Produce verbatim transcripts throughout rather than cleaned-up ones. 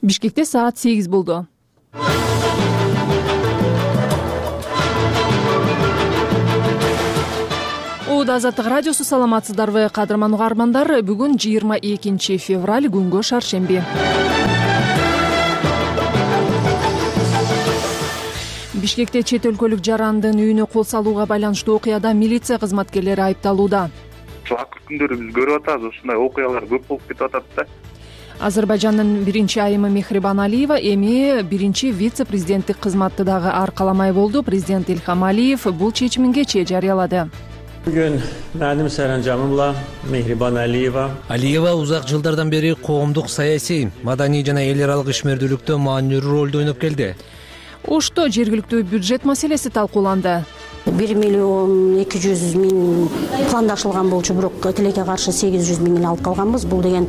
Бишкекте саат сегиз болду. Ууда Азаттык радиосу, саламатсыздарбы кадырман угармандар? Бүгүн жыйырма экинчи февраль, күнгө шаршемби. Бишкекте чет өлкөлүк жарандын үйүнө кол салууга байланыштуу окуяда милиция кызматкерлери айыпталууда. Акыркы күндөрү биз көрүп атабыз, ушундай окуялар көп болуп кетип атат да. Азербайжандын биринчи айымы Мехрибан Алиева эми биринчи вице-президенттик кызматты дагы аркаламай болду. Президент Илхам Алиев бул чечимин кечээ жарыялады. Бүгүн менин саранжамымла Мехрибан Алиева. Алиева узак жылдардан бери коомдук, саясий, маданий жана эл аралык ишмердүүлүктө маанилүү ролду ойноп келди. Ошто жергиликтүү бюджет маселеси талкууланды. бир миллион эки жүз миң пландашылган болчу, бирок тилекке каршы сегиз жүз миңин алып калганбыз. Бул деген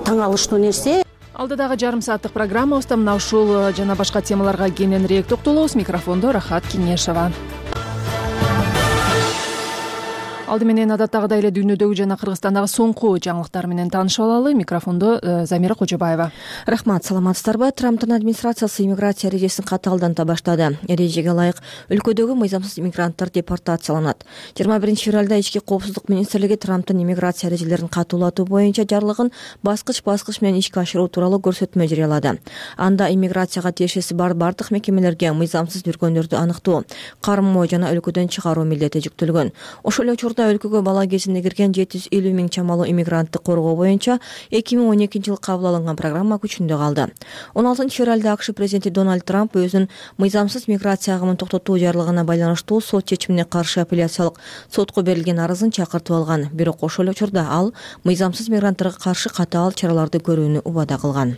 таң алыштуу нерсе. Алдыдагы жарым сааттык программабызда мына ушул жана башка темаларга кененирээк токтолобуз. Микрофондо Рахат Кеңешова. Алды менен адаттагыдай эле дүйнөдөгү жана Кыргызстандагы соңку жаңылыктар менен таанышып алалы. Микрофондо Замира Кожобаева. Рахмат, саламатсыздарбы? Трамптын администрациясы иммиграция эрежесин катаалданта баштады. Эрежеге ылайык өлкөдөгү мыйзамсыз иммигранттар депортацияланат. жыйырма биринчи февралда ички коопсуздук министрлиги Трамптын иммиграция эрежелерин катуулатуу боюнча жарлыгын баскыч-баскыч менен ишке ашыруу тууралуу көрсөтмө жарыялады. Анда иммиграцияга тиешеси бар бардык мекемелерге мыйзамсыз жүргөндөрдү аныктоо, кармоо жана өлкөдөн чыгаруу милдети жүктөлгөн. Ошол эле учурда өлкөгө бала кезинде кирген жети жүз элүү миң чамалуу иммигрантты коргоо боюнча эки миң он экинчи жылы кабыл алынган программа күчүндө калды. он алтынчы февралда АКШ президенти Дональд Трамп өзүнүн мыйзамсыз миграция агымын токтотуу жарлыгына байланыштуу сот чечимине каршы апелляциялык сотко берилген арызын чакыртып алган. Бирок ошол эле учурда ал мыйзамсыз мигранттарга каршы катаал чараларды көрүүнү убада кылган.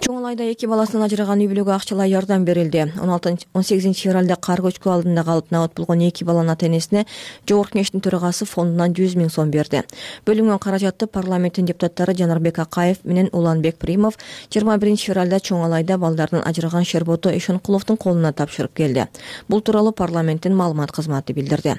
Чоң Алайда эки баласынан ажыраган үй бүлөгө акчалай жардам берилди. он сегизинчи февралда кар көчкү алдында калып набат болгон эки баланын ата-энесине Жогорку Кеңештин төрагасы фондунан жүз миң сом берди. Бөлүнгөн каражатты парламенттин депутаттары Жанарбек Акаев менен Уланбек Примов жыйырма биринчи февралда Чоң Алайда балдардын ажыраган Шербото Эшонкуловдун колуна тапшырып келди. Бул тууралуу парламенттин маалымат кызматы билдирди.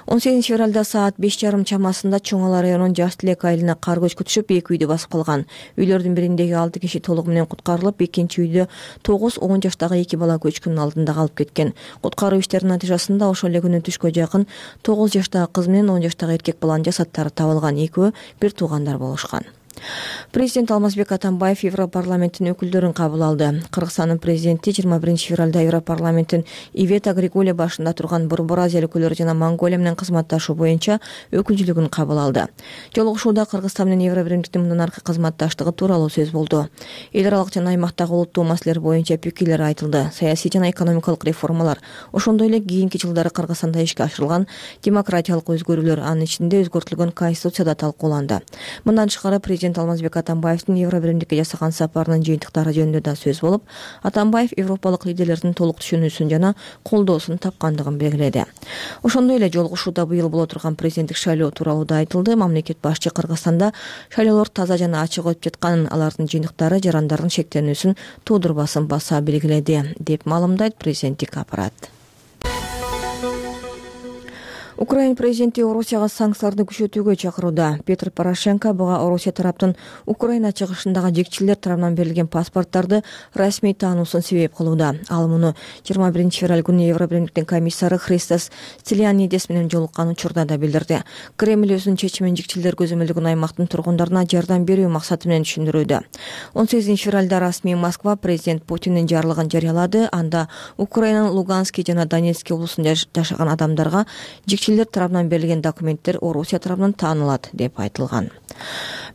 он сегизинчи февралда саат беш жарым чамасында Чоң Алай районунун Жаш Тилек айылына кар көчкү түшүп эки үйдү басып калган. Үйлөрдүн бириндеги алты киши толугу менен куткарылып, экинчи үйдө тогуз он жаштагы эки бала көчкүнүн алдында калып кеткен. Куткаруу иштеринин натыйжасында ошол эле күнү түшкө жакын тогуз жаштагы кыз менен он жаштагы эркек баланын жасаттары табылган. Экөө бир туугандар болушкан. Президент Алмазбек Атамбаев Европарламенттин өкүлдөрүн кабыл алды. Кыргызстандын президенти жыйырма биринчи февралда Европарламенттин Ивета Григуле башында турган Борбор Азия өлкөлөрү жана Монголия менен кызматташуу боюнча өкүлчүлүгүн кабыл алды. Жолугушууда Кыргызстан менен Евробиримдиктин мындан аркы кызматташтыгы тууралуу сөз болду. Эл аралык жана аймактагы улуттуу маселелер боюнча пикирлер айтылды. Саясий жана экономикалык реформалар, ошондой эле кийинки жылдары Кыргызстанда ишке ашырылган демократиялык өзгөрүүлөр, анын ичинде өзгөртүлгөн конституцияда талкууланды. Мындан тышкары президент Алмазбек Атамбаевдин Евробиримдикке жасаган сапарынын жыйынтыктары жөнүндө да сөз болуп, Атамбаев европалык лидерлердин толук түшүнүүсүн жана колдоосун тапкандыгын белгиледи. Ошондой эле жолугушууда быйыл боло турган президенттик шайлоо тууралуу да айтылды. Мамлекет башчы Кыргызстанда шайлоолор таза жана ачык өтүп жатканын, алардын жыйынтыктары жарандардын шектенүүсүн туудурбасын баса белгиледи, деп маалымдайт президенттик аппарат. Украина президенти Орусияга санкцияларды күчөтүүгө чакырууда. Петр Порошенко буга Орусия тараптын Украина чыгышындагы жекчилер тарабынан берилген паспорттарды расмий таануусун себеп кылууда. Ал муну жыйырма биринчи февраль күнү Евробиримдиктин комиссары Христос Стилянидес менен жолуккан учурда да билдирди. Кремль өзүнүн чечимин жекчилер көзөмөлдөгөн аймактын тургундарына жардам берүү максаты менен түшүндүрүүдө. он сегизинчи февралда расмий Москва президент Путиндин жарлыгын жарыялады. Анда Украинанын Луганский жана Донецкий облусунда жашаган адамдарга жекчилер тарабынан берилген документтер Орусия тарабынан таанылат, деп айтылган.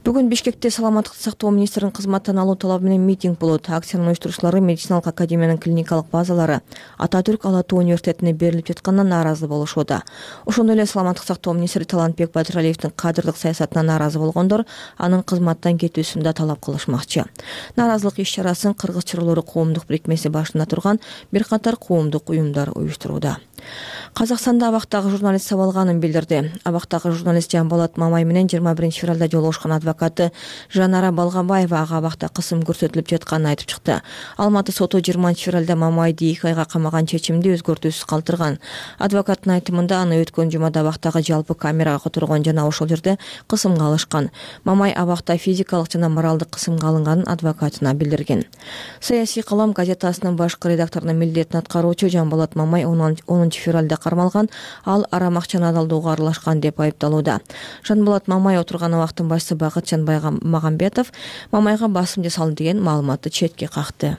Бүгүн Бишкекте саламаттыкты сактоо министринин кызматтан алуу талабы менен митинг болот. Акциянын уюштуруучулары медициналык академиянын клиникалык базалары Ататүрк Ала Тоо университетине берилип жатканына нааразы болушууда. Ошондой эле саламаттык сактоо министри Талантбек Батыралиевдин кадрлык саясатына нааразы болгондор анын кызматтан кетүүсүн да талап кылышмакчы. Нааразылык иш-чарасын Кыргыз чырылоору коомдук бирикмеси башында турган бир катар коомдук уюмдар уюштурууда. Казакстанда абактагы журналист сабалганын билдирди. Абактагы журналист Жамболот Мамай менен жыйырма биринчи февралда жолугушкан адвокаты Жанара Балганбаева ага абакта кысым көрсөтүлүп жатканын айтып чыкты. Алматы соту жыйырманчы февралда Мамайды эки айга камаган чечимди өзгөртүүсүз калтырган. Адвокаттын айтымында аны өткөн жумада абактагы жалпы камерага которгон жана ошол жерде кысымга алышкан. Мамай абакта физикалык жана моралдык кысымга алынганын адвокатына билдирген. Саясий калам газетасынын башкы редакторунун милдетин аткаруучу Жамболот Мамай онунчу февралда кармалган, ал арам акчаны адалдоого аралашкан деп айыпталууда. Жанболот Мамай отурган абактын башчысы Бакытжан Магамбетов Мамайга басым жасалды деген маалыматты четке какты.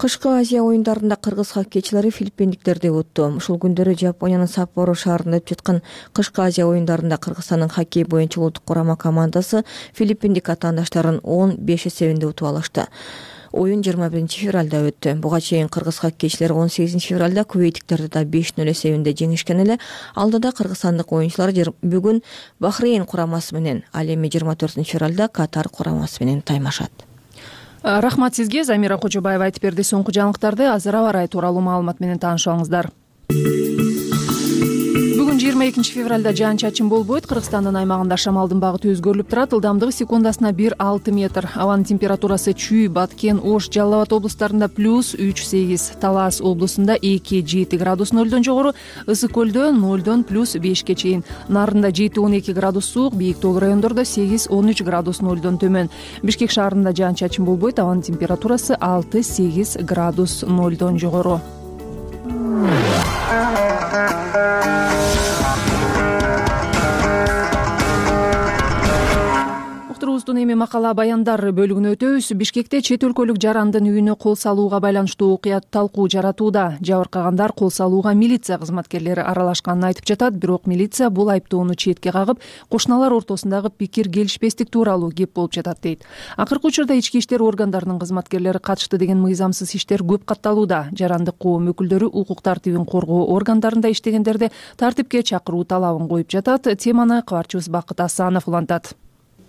Кышкы Азия оюндарында кыргыз хоккейчилери филиппиндиктерди утту. Ушул күндөрү Жапониянын Саппоро шаарында өтүп жаткан кышкы Азия оюндарында Кыргызстандын хоккей боюнча улуттук курама командасы филиппиндик атаандаштарын он беш эсебинде утуп алышты. Оюн жыйырма биринчи февралда өттү. Буга чейин кыргыз хоккейчилери он сегизинчи февралда кувейтиктерди да беш нөл эсебинде жеңишкен эле. Алдыда кыргызстандык оюнчулар бүгүн Бахрейн курамасы менен, ал эми жыйырма төртүнчү февралда Катар курамасы менен таймашат. Рахмат сизге, Замира Кожобаева айтып берди. Соңку жаңылыктарды азыр аба ырайы тууралуу маалымат менен таанышыңыздар. Бүгүн жыйырма экинчи февралда жаан чачын болбойт. Кыргызстандын аймагында шамалдын багыты өзгөрүлүп турат. Ылдамдыгы секундасына бир алты метр. Абанын температурасы Чүй, Баткен, Ош, Жалал Абад облустарында плюс үч сегиз, Талас облусунда эки жети градус нөлдөн жогору, Ысык көлдө нөлдөн плюс бешке чейин. Нарында жети он эки градус суук, бийик тоолуу райондордо сегиз он үч градус нөлдөн төмөн. Бишкек шаарында жаан чачын болбойт. Абанын температурасы алты сегиз градус нөлдөн жогору. Эми макала баяндар бөлүгүнө өтөбүз. Бишкекте чет өлкөлүк жарандын үйүнө кол салууга байланыштуу окуя талкуу жаратууда. Жабыркагандар кол салууга милиция кызматкерлери аралашканын айтып жатат, бирок милиция бул айыптоону четке кагып, кошуналар ортосундагы пикир келишпестик тууралуу кеп болуп жатат дейт. Акыркы учурда ички иштер органдарынын кызматкерлери катышты деген мыйзамсыз иштер көп катталууда. Жарандык коом өкүлдөрү укук тартибин коргоо органдарында иштегендерди тартипке чакыруу талабын коюп жатат. Теманы кабарчыбыз Бакыт Асанов улантат.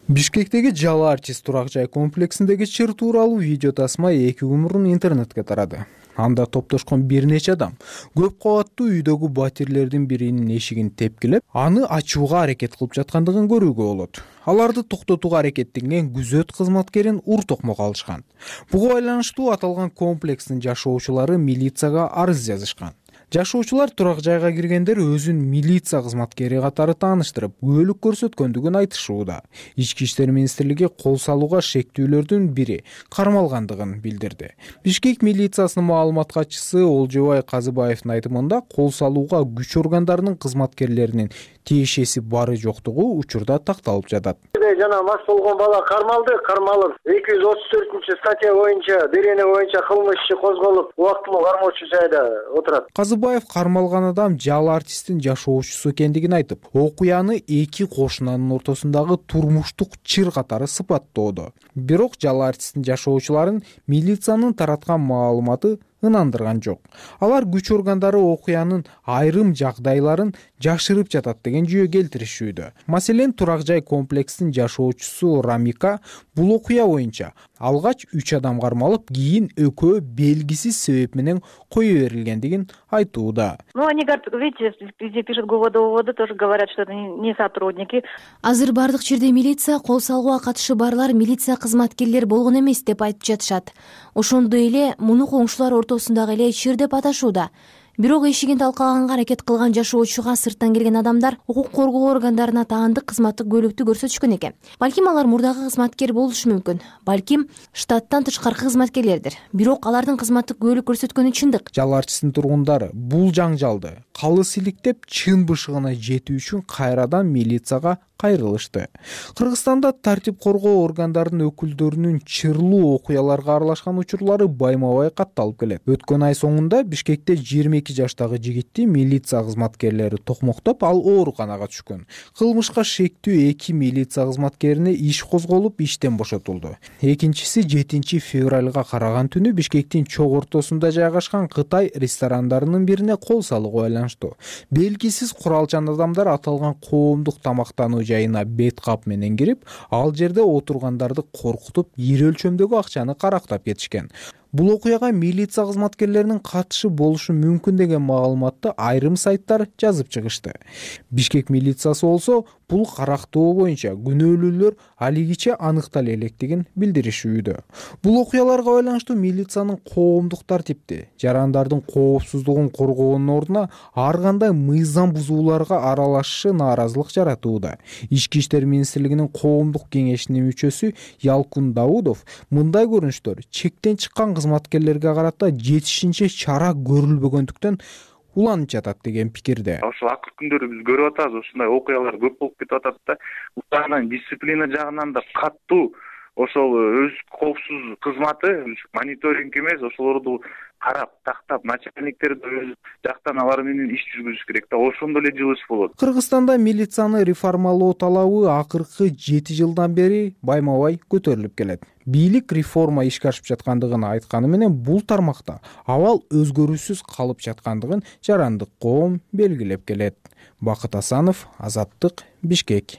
Бишкектеги Жалал артист турак жай комплексиндеги чыр тууралуу видео тасма эки күн мурун интернетке тарады. Анда топтошкон бир нече адам көп кабаттуу үйдөгү батирлердин биринин эшигин тепкилеп, аны ачууга аракет кылып жаткандыгын көрүүгө болот. Аларды токтотууга аракеттенген күзөт кызматкерин ур токмокко алышкан. Буга байланыштуу аталган комплекстин жашоочулары милицияга арыз жазышкан. Жашоочулар турак жайга киргендер өзүн милиция кызматкери катары тааныштырып, күбөлүк көрсөткөндүгүн айтышууда. Ички иштер министрлиги кол салууга шектүүлөрдүн бири кармалгандыгын билдирди. Бишкек милициясынын маалымат катчысы Олжобай Казыбаевдин айтымында, кол салууга күч органдарынын кызматкерлеринин тиешеси бары жоктугу учурда такталып жатат. Жана мас болгон бала кармалды, кармалып эки жүз отуз төртүнчү статья боюнча, берене боюнча кылмыш иши козголуп, убактылуу кармоочу жайда отурат. Казыбаев кармалган адам Жалал артисттин жашоочусу экендигин айтып, окуяны эки кошунанын ортосундагы турмуштук чыр катары сыпаттоодо. Бирок Жалал артисттин жашоочуларын милициянын тараткан маалыматы ынандырган жок. Алар күч органдары окуянын айрым жагдайларын жашырып жатат деген жүйө келтиришүүдө. Маселен, турак жай комплексинин жашоочусу Рамика бул окуя боюнча алгач үч адам кармалып, кийин экөө белгисиз себеп менен кое берилгендигин айтууда. Ну, они говорят, видите, где пишут ГУВД, тоже говорят, что это не сотрудники. Азыр бардык жерде милиция кол салууга катышы барлар милиция кызматкерлери болгон эмес деп айтып жатышат. Ошондой эле муну коңшулар ортосундагы эле чыр деп аташууда. Бирок эшигин талкаганга аракет кылган жашоочуга сырттан келген адамдар укук коргоо органдарына таандык кызматтык көйлөктү көрсөтүшкөн экен. Балким алар мурдагы кызматкер болушу мүмкүн. Балким штаттан тышкаркы кызматкерлердир. Бирок алардын кызматтык көйлөк көрсөткөнү чындык. Жалал артисттин тургундары бул жаңжалды калыс иликтеп, чын бышыгына жетүү үчүн кайрадан милицияга кайрылышты. Кыргызстанда тартип коргоо органдарынын өкүлдөрүнүн чырлуу окуяларга аралашкан учурлары байма-бай катталып келет. Өткөн ай соңунда Бишкекте жыйырма эки жаштагы жигитти милиция кызматкерлери токмоктоп, ал ооруканага түшкөн. Кылмышка шектүү эки милиция кызматкерине иш козголуп, иштен бошотулду. Экинчиси жетинчи февралга караган түнү Бишкектин чок ортосунда жайгашкан Кытай ресторандарынын бирине кол салууга байланыштуу. Белгисиз куралчан адамдар аталган коомдук тамактануу жайына бет кап менен кирип, ал жерде отургандарды коркутуп, ири өлчөмдөгү акчаны карактап кетишкен. Бул окуяга милиция кызматкерлеринин катышы болушу мүмкүн деген маалыматты айрым сайттар жазып чыгышты. Бишкек милициясы болсо бул карактоо боюнча күнөөлүүлөр алигиче аныктала электигин билдиришүүдө. Бул окуяларга байланыштуу милициянын коомдук тартипти, жарандардын коопсуздугун коргоонун ордуна ар кандай мыйзам бузууларга аралашышы нааразылык жаратууда. Ички иштер министрлигинин коомдук кеңешинин мүчөсү Ялкун Даудов мындай көрүнүштөр чектен чыккан кызматкерлерге карата жетишинче чара көрүлбөгөндүктөн уланып жатат деген пикирде. Ошол акыркы күндөрү биз көрүп атабыз, ушундай окуялар көп болуп кетип атат да. Бул дисциплина жагынан да каттуу ошол өз коопсуз кызматы мониторинг эмес, ошолорду карап, тактап, начальниктерди өз жактан алар менен иш жүргүзүш керек да. Ошондо эле жылыш болот. Кыргызстанда милицияны реформалоо талабы акыркы жети жылдан бери байма-бай көтөрүлүп келет. Бийлик реформа ишке ашып жаткандыгын айтканы менен бул тармакта абал өзгөрүүсүз калып жаткандыгын жарандык коом белгилеп келет. Бакыт Асанов, Азаттык, Бишкек.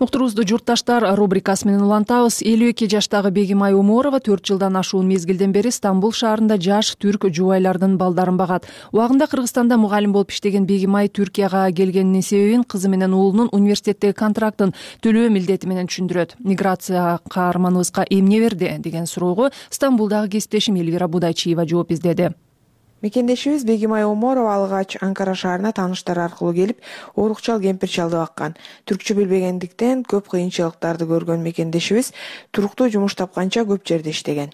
Уктуруубузду журтташтар рубрикасы менен улантабыз. элүү эки жаштагы Бегимай Уморова төрт жылдан ашуун мезгилден бери Стамбул шаарында жаш түрк жубайлардын балдарын багат. Убагында Кыргызстанда мугалим болуп иштеген Бегимай Түркияга келгенинин себебин кызы менен уулунун университеттеги контрактын төлөө милдети менен түшүндүрөт. Миграция каарманыбызга эмне берди деген суроого Стамбулдагы кесиптешим Элвира Будайчиева жооп издеди. Мекендешибиз Бегимай Уморова алгач Анкара шаарына тааныштары аркылуу келип, орукчал кемпир чалды баккан. Түркчө билбегендиктен көп кыйынчылыктарды көргөн мекендешибиз туруктуу жумуш тапканча көп жерде иштеген.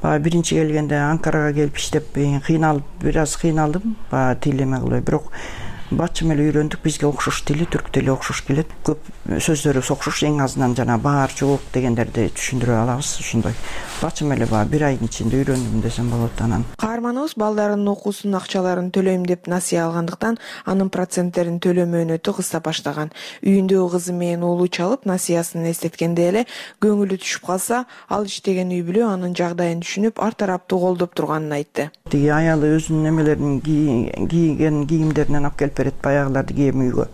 Баягы биринчи келгенде Анкарага келип иштеп кыйналып, бир аз кыйналдым. Баягы тил эме кылбай, бирок бачы менен үйрөндүк, бизге окшош тили, түрк тили окшош келет. Көп сөздөрүбүз окшош, эң азынан жана баар, жооп дегендерди түшүндүрө алабыз, ушундай. Бачы менен баягы бир айдын ичинде үйрөндүм десем болот анан. Каарманыбыз балдарынын окуусунун акчаларын төлөйм деп насыя алгандыктан, анын проценттерин төлөө мөөнөтү кыса баштаган. Үйүндөгү кызы менен уулу чалып, насыясын эстеткенде эле көңүлү түшүп калса, ал иштеген үй бүлө анын жагдайын түшүнүп, ар тараптуу колдоп турганын айтты. Тиги аялы өзүнүн эмелерин кийген кийимдеринен алып келип берет, баягыларды кийем үйгө.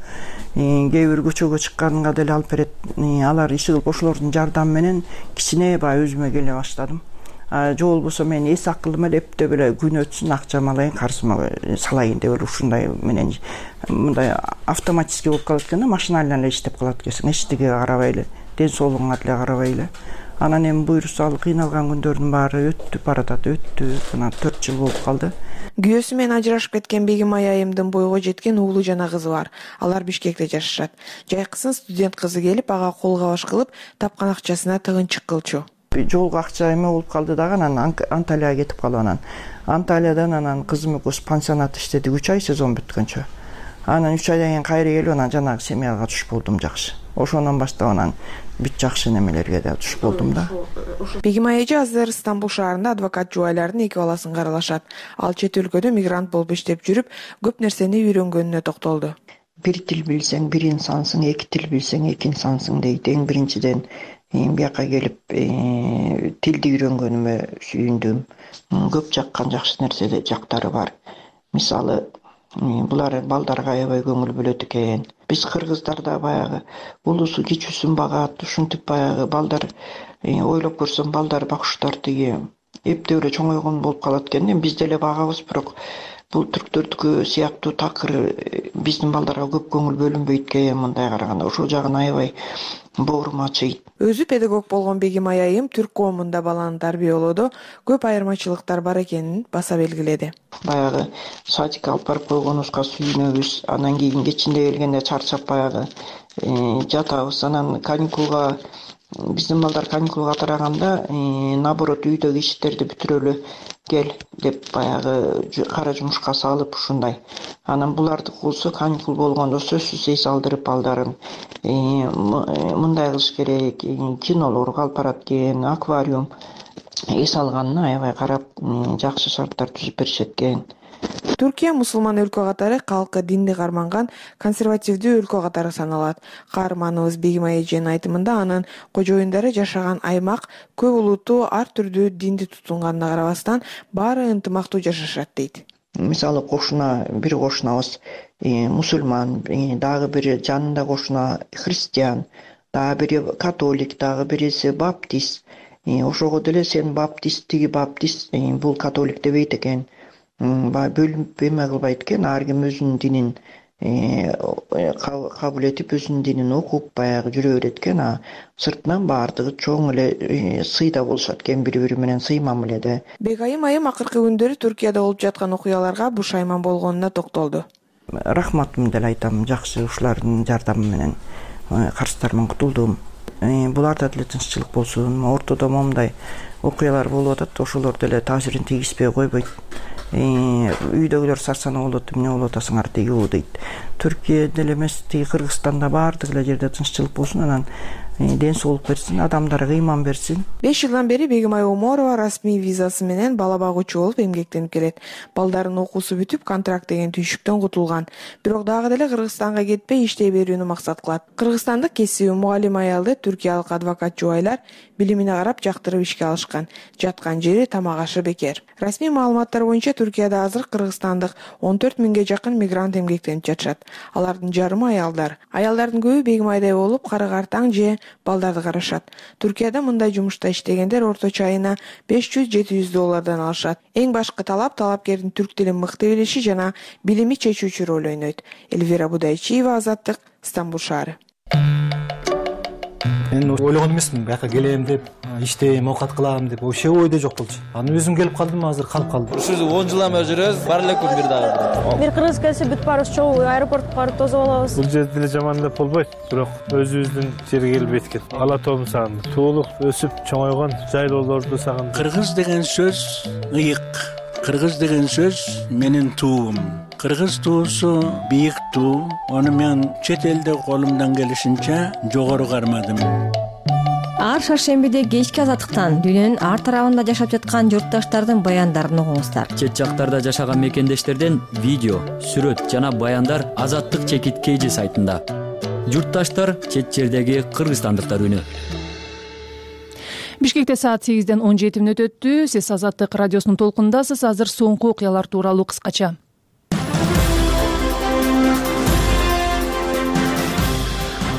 Кээ бир көчөгө чыкканга деле алып берет. Алар иши кылып ошолордун жардамы менен кичине баягы өзүмө келе баштадым. Жол болбосо мен эс акылым эле эптеп эле күн өтсүн, акчам алайын, карсыма салайын деп эле ушундай менен мындай автоматически болуп калат экен да, машиналар эле иштеп калат экенсиң, эчтеге карабай эле, ден соолугуңа деле карабай эле. Анан эми буюрса ал кыйналган күндөрдүн баары өттү баратат, өттү. Мына төрт жыл болуп калды. Күйөөсү менен ажырашып кеткен Бегимай айымдын бойго жеткен уулу жана кызы бар. Алар Бишкекте жашашат. Жайкысын студент кызы келип, ага кол кабаш кылып, тапкан акчасына тыгынчык кылчу. Жолго акча эме болуп калды дагы, анан Анталияга кетип калып, анан Анталиядан анан кызым экөөбүз пансионат иштедик үч ай, сезон бүткөнчө. Анан үч айдан кийин кайра келип, анан жанагы семьяга туш болдум жакшы. Ошондон баштап анан бүт жакшы немелерге да туш болдум да. Бегимай эже азыр Стамбул шаарында адвокат жубайлардын эки баласын каралашат. Ал чет өлкөдө мигрант болуп иштеп жүрүп, көп нерсени үйрөнгөнүнө токтолду. Бир тил билсең, бир инсансың, эки тил билсең, эки инсансың дейт. Эң биринчиден бияка келип тилди үйрөнгөнүмө сүйүндүм. Көп жаккан жакшы нерседе жактары бар. Мисалы, булар балдарга аябай көңүл бөлөт экен. Биз кыргыздарда баягы улусу кичүүсүн багат, ушинтип баягы балдар ойлоп көрсөм балдар бакуштар тиги эптеп эле чоңойгон болуп калат экен. Биз деле багабыз, бирок бул түрктөрдүкү сыяктуу такыр биздин балдарга көп көңүл бөлүнбөйт экен, мындай караганда. Ошол жагын аябай боорум ачыйт. Өзү педагог болгон Бегимай айым түрк коомунда баланы тарбиялоодо көп айырмачылыктар бар экенин баса белгиледи. Баягы садикке алып барып койгонубузга сүйүнөбүз. Анан кийин кечинде келгенде чарчап баягы жатабыз. Анан каникулга биздин балдар каникулга тараганда наоборот үйдөгү иштерди бүтүрөлү кел деп баягы кара жумушка салып ушундай. Анан буларды болсо каникул болгондо сөзсүз эс алдырып балдарын мындай кылыш керек, кинолорго алып барат экен, аквариум эс алганына аябай карап жакшы шарттар түзүп беришет экен. Түркия мусулман өлкө катары калкы динди карманган консервативдүү өлкө катары саналат. Каарманыбыз Бегимай эженин айтымында анын кожоюндары жашаган аймак көп улуттуу ар түрдүү динди тутунганына карабастан баары ынтымактуу жашашат дейт. Мисалы кошуна, бир кошунабыз мусулман, дагы бир жанында кошуна христиан, дагы бири католик, дагы бириси баптист. Ошого деле сен баптист, тиги баптист, бул католик дебейт экен. Баягы бөлүнүп эме кылбайт экен, ар ким өзүнүн динин кабыл этип, өзүнүн динин окуп баягы жүрө берет экен. А сыртынан баардыгы чоң эле сыйда болушат экен, бири бири менен сый мамиледе. Бекайым айым акыркы күндөрү Түркияда болуп жаткан окуяларга бушайман болгонуна токтолду. Рахматымды деле айтам, жакшы ушулардын жардамы менен карыздарыман кутулдум. Буларда деле тынччылык болсун. Ортодо момундай окуялар болуп атат, ошолор деле таасирин тийгизбей койбойт. Үйдөгүлөр сарсанаа болот, эмне болуп атасыңар тиги дейт. Түркия деле эмес, тиги Кыргызстанда баардык эле жерде тынччылык болсун, анан ден соолук берсин, адамдарга ыйман берсин. беш жылдан бери Бегимай Оморова расмий визасы менен бала багуучу болуп эмгектенип келет. Балдарынын окуусу бүтүп, контракт деген түйшүктөн кутулган. Бирок дагы деле Кыргызстанга кетпей иштей берүүнү максат кылат. Кыргызстандык кесиби мугалим аялды түркиялык адвокат жубайлар билимине карап жактырып ишке алышкан. Жаткан жери тамак ашы бекер. Расмий маалыматтар боюнча Түркияда азыр кыргызстандык он төрт миңге жакын мигрант эмгектенип жатышат. Алардын жарымы аялдар. Аялдардын көбү Бегимайдай болуп, карыгартаң же балдарды карашат. Түркияда мындай жумушта иштегендер орточо айына беш жүз жети жүз доллардан алышат. Эң башкы талап талапкердин түрк тилин мыкты билиши жана билими чечүүчү роль ойнойт. Эльвира Будайчиева, Азаттык, Стамбул шаары. Мен ойлогон эмесмин, бияка келем деп, иштейм, оокат кылам деп, вообще ойдо жок болчу. Анан өзүм келип калдым, азыр калып калдым. Ушул он жылдан бери жүрөбүз, бар эле күн бир дагы. Бир кыргыз келсе бүт баарыбыз чогуу аэропортко барып тосуп алабыз. Бул жерде деле жаман деп болбойт, бирок өзүбүздүн жерге келбейт экен. Ала тоом сагындым. Туулук, өсүп чоңойгон жайлоолорду сагындым. Кыргыз деген сөз ыйык. Кыргыз деген сөз менин туум. Кыргыз туусу бийик туу. Аны мен чет элде колумдан келишинче жогору кармадым. Ар шаршембиде кечки Азаттыктан дүйнөнүн ар тарабында жашап жаткан журтташтардын баяндарын угуңуздар. Чет жактарда жашаган мекендештерден видео, сүрөт жана баяндар Азаттык чекит кей жи сайтында. Журтташтар чет жердеги кыргызстандыктар үнү. Бишкекте саат сегизден он жети мүнөт өттү. Сиз Азаттык радиосунун толкунундасыз. Азыр соңку окуялар тууралуу кыскача.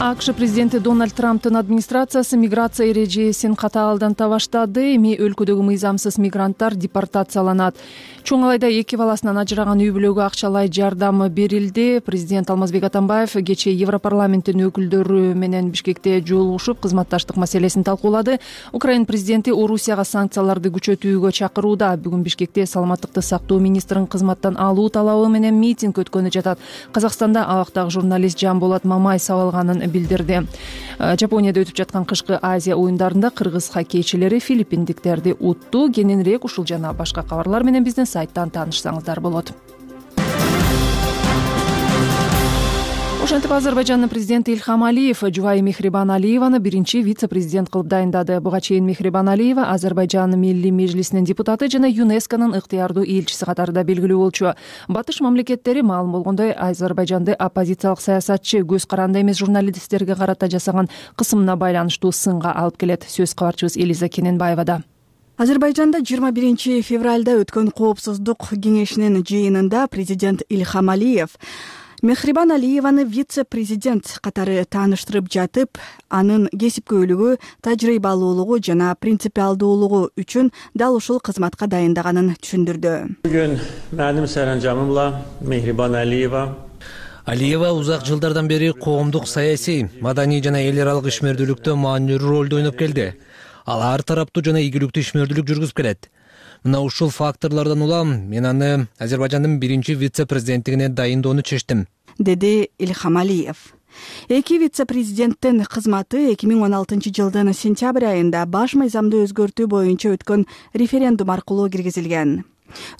АКШ президенти Дональд Трамптын администрациясы миграция эрежесин катаалданта баштады. Эми өлкөдөгү мыйзамсыз мигранттар депортацияланат. Чоң Алайда эки баласынан ажыраган үй бүлөгө акчалай жардам берилди. Президент Алмазбек Атамбаев кечээ Европарламенттин өкүлдөрү менен Бишкекте жолугушуп, кызматташтык маселесин талкуулады. Украина президенти Орусияга санкцияларды күчөтүүгө чакырууда. Бүгүн Бишкекте саламаттыкты сактоо министрин кызматтан алуу талабы менен митинг өткөнү жатат. Казакстанда абактагы журналист Жамболот Мамай сабалганын билдирди. Жапонияда өтүп жаткан кышкы Азия оюндарында кыргыз хоккейчилери филиппиндиктерди утту. Кененирээк ушул жана башка кабарлар менен биздин сайттан таанышсаңыздар болот. Ошентип Азербайжандын президенти Ильхам Алиев жубайы Мехрибан Алиеваны биринчи вице-президент кылып дайындады. Буга чейин Мехрибан Алиева Азербайжан Милли Межлисинин депутаты жана ЮНЕСКОнун ыктыярдуу элчиси катарында белгилүү болчу. Батыш мамлекеттери маалым болгондой Азербайжанды оппозициялык саясатчы көз каранды эмес журналисттерге карата жасаган кысымына байланыштуу сынга алып келет. Сөз кабарчыбыз Элиза Кененбаевада. Азербайжанда жыйырма биринчи февралда өткөн коопсуздук кеңешинин жыйынында президент Ильхам Алиев Мехрибан Алиеваны вице-президент катары тааныштырып жатып, анын кесипкөйлүгү, тажрыйбалуулугу жана принципиалдуулугу үчүн дал ушул кызматка дайындаганын түшүндүрдү. Бүгүн менин саранжамымла Мехрибан Алиева Алиева узак жылдардан бери коомдук саясий, маданий жана эл аралык ишмердүүлүктө маанилүү ролду ойноп келди. Ал ар тараптуу жана ийгиликтүү ишмердүүлүк жүргүзүп келет. Мына ушул факторлордон улам мен аны Азербайжандын биринчи вице-президенттигине дайындоону чечтим, деди Ильхам Алиев. Эки вице-президенттин кызматы эки миң он алтынчы жылдын сентябрь айында баш мыйзамды өзгөртүү боюнча өткөн референдум аркылуу киргизилген.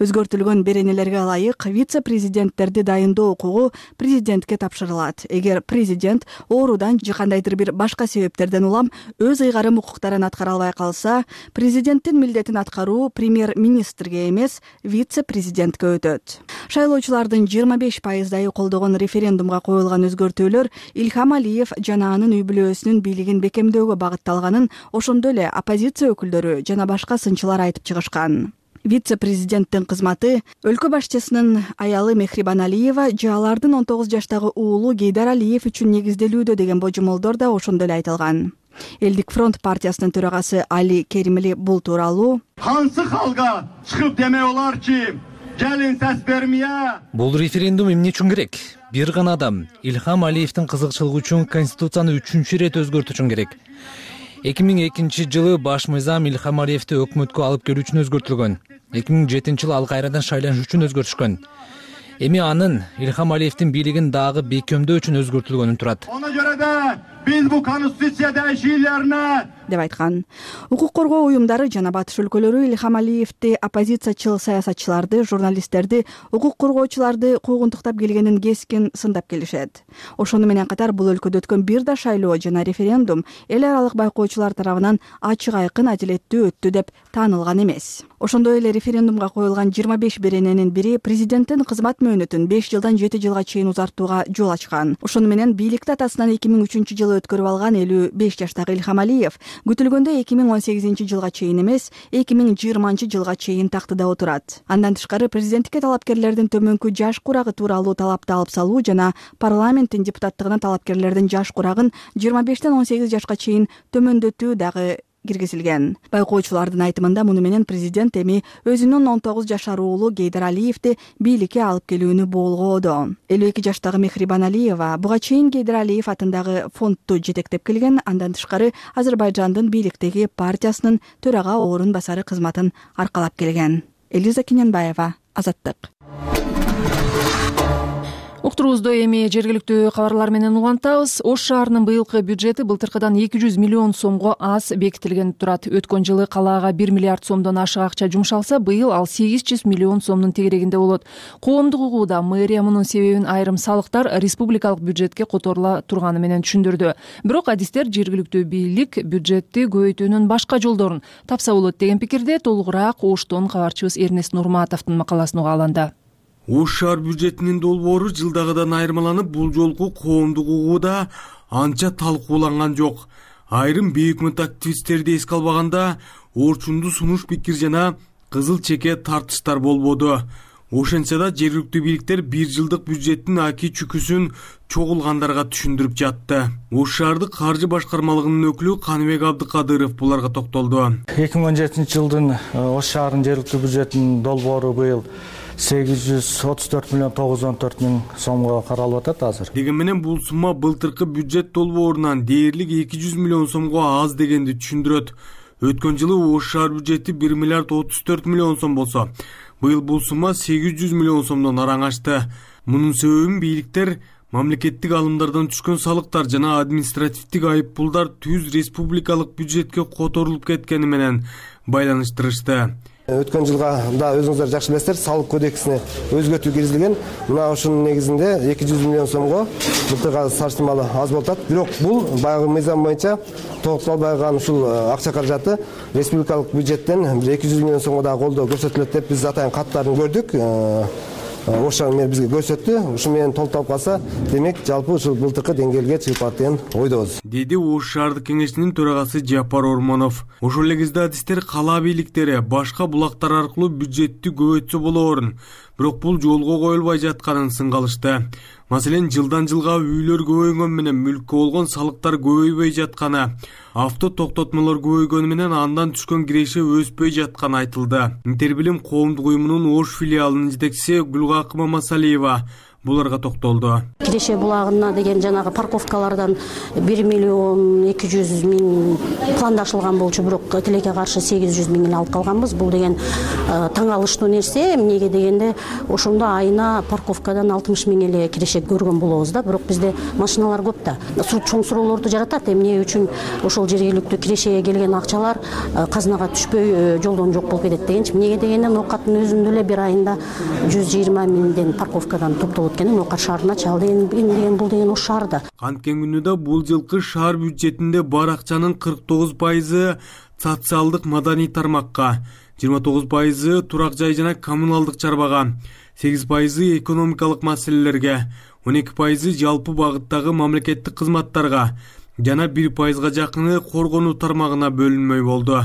Өзгөртүлгөн беренелерге ылайык вице-президенттерди дайындоо укугу президентке тапшырылат. Эгер президент оорудан же кандайдыр бир башка себептерден улам өз ыйгарым укуктарын аткара албай калса, президенттин милдетин аткаруу премьер-министрге эмес, вице-президентке өтөт. Шайлоочулардын жыйырма беш пайыздайы колдогон референдумга коюлган өзгөртүүлөр Ильхам Алиев жана анын үй бүлөсүнүн бийлигин бекемдөөгө багытталганын ошондой эле оппозиция өкүлдөрү жана башка сынчылар айтып чыгышкан. Вице президенттин кызматы өлкө башчысынын аялы Мехрибан Алиева жалардын он тогуз жаштагы уулу Гейдар Алиев үчүн негизделүүдө деген божомолдор да ошондой эле айтылган. Элдик фронт партиясынын төрагасы Али Керимли бул тууралуу кантсы халга чыгып демей оларчы келин сес бермее. Бул референдум эмне үчүн керек? Бир гана адам Илхам Алиевдин кызыкчылыгы үчүн конституцияны үчүнчү ирет өзгөртүү үчүн керек. эки миң экинчи жылы баш мыйзам Илхам Алиевди өкмөткө алып келүү үчүн өзгөртүлгөн. эки миң жетинчи жылы ал кайрадан шайланыш үчүн өзгөртүшкөн. Эми анын Илхам Алиевдин бийлигин дагы бекемдөө үчүн өзгөртүлгөнүн турат. Ona göre de biz bu konstitusiya değişikliklerine деп айткан. Укук коргоо уюмдары жана батыш өлкөлөрү Илхам Алиевди, оппозициячыл саясатчыларды, журналисттерди, укук коргоочуларды куугунтуктап келгенин кескин сындап келишет. Ошону менен катар бул өлкөдө өткөн бир да шайлоо жана референдум эл аралык байкоочулар тарабынан ачык айкын адилеттүү өттү деп таанылган эмес. Ошондой эле референдумга коюлган жыйырма беш берененин бири президенттин кызмат мөөнөтүн беш жылдан жети жылга чейин узартууга жол ачкан. Ошону менен бийликти атасынан эки миң үчүнчү жылы өткөрүп алган элүү беш жаштагы Илхам Алиев күтүлгөндө эки миң он сегизинчи жылга чейин эмес, эки миң жыйырманчы жылга чейин тактыда отурат. Андан тышкары президенттикке талапкерлердин төмөнкү жаш курагы тууралуу талапты алып салуу жана парламенттин депутаттыгына талапкерлердин жаш курагын жыйырма бештен он сегиз жашка чейин төмөндөтүү дагы киргизилген. Байкоочулардын айтымында муну менен президент эми өзүнүн он тогуз жашар уулу Гейдар Алиевди бийликке алып келүүнү болгоодо. элүү эки жаштагы Мехрибан Алиева буга чейин Гейдар Алиев атындагы фондду жетектеп келген. Андан тышкары Азербайжандын бийликтеги партиясынын төрага орун басары кызматын аркалап келген. Элиза Кененбаева, Азаттык. Уктуруубузду эми жергиликтүү кабарлар менен улантабыз. Ош шаарынын быйылкы бюджети былтыркыдан эки жүз миллион сомго аз бекитилген турат. Өткөн жылы калаага бир миллиард сомдон ашык акча жумшалса, быйыл ал сегиз жүз миллион сомдун тегерегинде болот. Коомдук угууда мэрия мунун себебин айрым салыктар республикалык бюджетке которула турганы менен түшүндүрдү. Бирок адистер жергиликтүү бийлик бюджетти көбөйтүүнүн башка жолдорун тапса болот деген пикирде. Толугураак Оштон кабарчыбыз Эрнест Нурматовдун макаласын угааланды. Ош шаар бюджетинин долбоору жылдагыдан айырмаланып, бул жолку коомдук угууда анча талкууланган жок. Айрым бейөкмөт активисттерди эске албаганда орчунду сунуш пикир жана кызыл чеке тартыштар болбоду. Ошентсе да жергиликтүү бийликтер бир жылдык бюджеттин аки чүкүсүн чогулгандарга түшүндүрүп жатты. Ош шаардык каржы башкармалыгынын өкүлү Каныбек Абдыкадыров буларга токтолду. эки миң он жетинчи жылдын Ош шаарынын жергиликтүү бюджетинин долбоору быйыл сегиз жүз отуз төрт миллион тогуз жүз он төрт миң сомго каралып атат азыр. Деген менен бул сумма былтыркы бюджет долбоорунан дээрлик эки жүз миллион сомго аз дегенди түшүндүрөт. Өткөн жылы Ош шаар бюджети бир миллиард отуз төрт миллион сом болсо, быйыл бул сумма сегиз жүз миллион сомдон араң ашты. Мунун себебин бийликтер мамлекеттик алымдардан түшкөн салыктар жана административдик айыппулдар түз республикалык бюджетке которулуп кеткени менен байланыштырышты. Өткөн жылга да өзүңүздөр жакшы билесиздер, салык кодексине өзгөртүү киргизилген. Мына ошонун негизинде эки жүз миллион сомго былтырга салыштырмалуу аз болуп атат. Бирок бул баягы мыйзам боюнча тогукталбай калган ушул акча каражаты республикалык бюджеттен эки жүз миллион сомго дагы колдоо көрсөтүлөт деп биз атайын каттарын көрдүк. Ош шаар бизге көрсөттү. Ушу менен толукталып калса, демек жалпы ушул былтыркы деңгээлге чыгып барат деген ойдобуз. Деди Ош шаардык кеңешинин төрагасы Жапар Ормонов. Ошол эле кезде адистер кала бийликтери башка булактар аркылуу бюджетти көбөйтсө болоорун, бирок бул жолго коюлбай жатканын сынгалышты. Маселен, жылдан жылга үйлөр көбөйгөн менен мүлккө болгон салыктар көбөйбөй жатканы, авто токтотмолор көбөйгөнү менен андан түшкөн киреше өспөй жатканы айтылды. Интербилим коомдук уюмунун Ош филиалынын жетекчиси Гүлгакы Мамасалиева буларга токтолду. Киреше булагына деген жанагы парковкалардан бир миллион эки жүз миң пландашылган болчу, бирок тилекке каршы сегиз жүз миңин алып калганбыз. Бул деген таң алыштуу нерсе. Эмнеге дегенде ошондо айына парковкадан алтымыш миң эле киреше көргөн болобуз да, бирок бизде машиналар көп да. Чоң суроолорду жаратат. Эмне үчүн ошол жергиликтүү кирешеге келген акчалар казынага түшпөй жолдон жок болуп кетет дегенчи. Эмнеге дегенде ноокаттын өзүндө эле бир айында жүз жыйырма миңден парковкадан топтолот экен. Ноокат шаарына чал деген деген бул деген Ош шаарда. Канткен күнүдө бул жылкы шаар бюджетинде бар акчанын кырк тогуз пайызы социалдык маданий тармакка, жыйырма тогуз пайызы турак жай жана коммуналдык чарбага, сегиз пайызы экономикалык маселелерге, он эки пайызы жалпы багыттагы мамлекеттик кызматтарга жана бир пайызга жакыны коргонуу тармагына бөлүнмөй болду.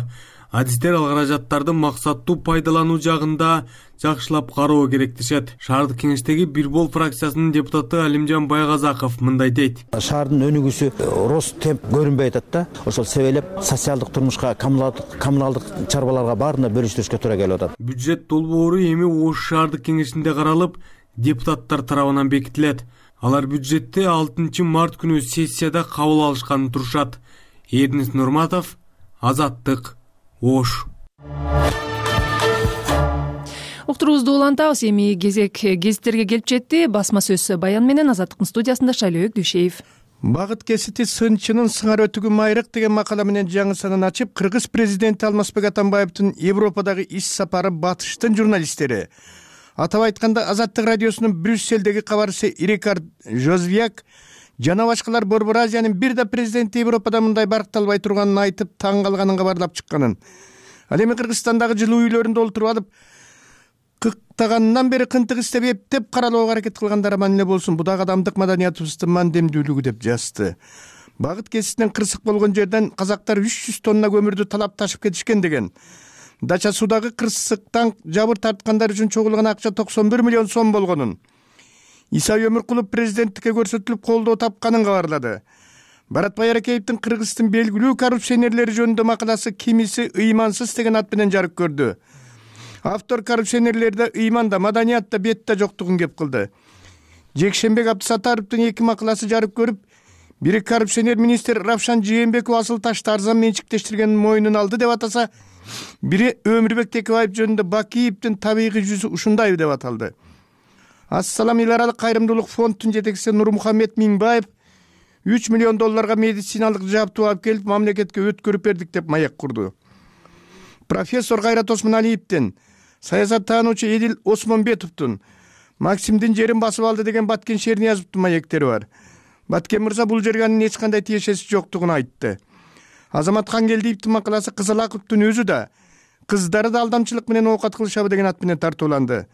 Адистер ал каражаттарды максаттуу пайдалануу жагында жакшылап кароо керек дешет. Шаардык кеңештеги Бир Бол фракциясынын депутаты Алимжан Байгазаков мындай дейт. Шаардын өнүгүүсү рост темп көрүнбөй атат да. Ошол себептеп социалдык турмушка, коммуналдык чарбаларга баарына бөлүштүрүшкө туура келип атат. Бюджет долбоору эми Ош шаардык кеңешинде каралып, депутаттар тарабынан бекитилет. Алар бюджетти алтынчы март күнү сессияда кабыл алышканын турушат. Эрнис Нурматов, Азаттык, Ош. Уктуруубузду улантабыз. Эми кезек гезиттерге келип жетти. Басма сөз баян менен Азаттыктын студиясында Шайлообек Дүйшеев. Багыт кесити сынчынын сыңар өтүгү майрык деген макала менен жаңы санын ачып, Кыргыз президенти Алмазбек Атамбаевдин Европадагы иш сапары батыштын журналисттери. Атап айтканда, Азаттык радиосунун Брюсселдеги кабарчысы Рикард Жозвяк жана башкалар Борбор Азиянын бир да президенти Европада мындай баркталбай турганын айтып, таң калганын кабарлап чыкканын. Ал эми Кыргызстандагы жылуу үйлөрүндө олтуруп алып, кыктагандан бери кынтык иштеп эптеп каралууга аракет кылгандар аман эле болсун. Бу дагы адамдык маданиятыбыздын мандемдүүлүгү деп жазды. Багыт кеситинен кырсык болгон жерден казактар үч жүз тонна көмүрдү талап ташып кетишкен деген. Дача суудагы кырсыктан жабыр тарткандар үчүн чогулган акча токсон бир миллион сом болгонун. Иса Өмүркулов президенттикке көрсөтүлүп колдоо тапканын кабарлады. Баратбай Аракеевдин Кыргыздын белгилүү коррупционерлери жөнүндө макаласы кимиси ыймансыз деген ат менен жарык көрдү. Автор коррупционерлерде ыйманда, маданиятта, бетте жоктугун кеп кылды. Жекшенбек Абдысаттаровдун эки макаласы жарык көрүп, бири коррупционер министр Равшан Жээнбеков асыл ташты арзан менчиктештиргенин мойнуна алды деп атаса, бири Өмүрбек Текебаев жөнүндө Бакиевдин табигый жүзү ушундай деп аталды. Ассалам эл аралык кайрымдуулук фондунун жетекчиси Нурмухаммед Минбаев үч миллион долларга медициналык жабдуу алып келип, мамлекетке өткөрүп бердик деп маяк курду. Профессор Кайрат Осмоналиевдин, саясаттануучу Эдил Осмонбетовдун Максимдин жерин басып алды деген Баткен Шерниязовдун маектери бар. Баткен мырза бул жерге анын эч кандай тиешеси жоктугун айтты. Азамат Хангелдиевдин макаласы Кызылаковдун өзү да, кыздары да алдамчылык менен оокат кылышабы деген ат менен тартууланды.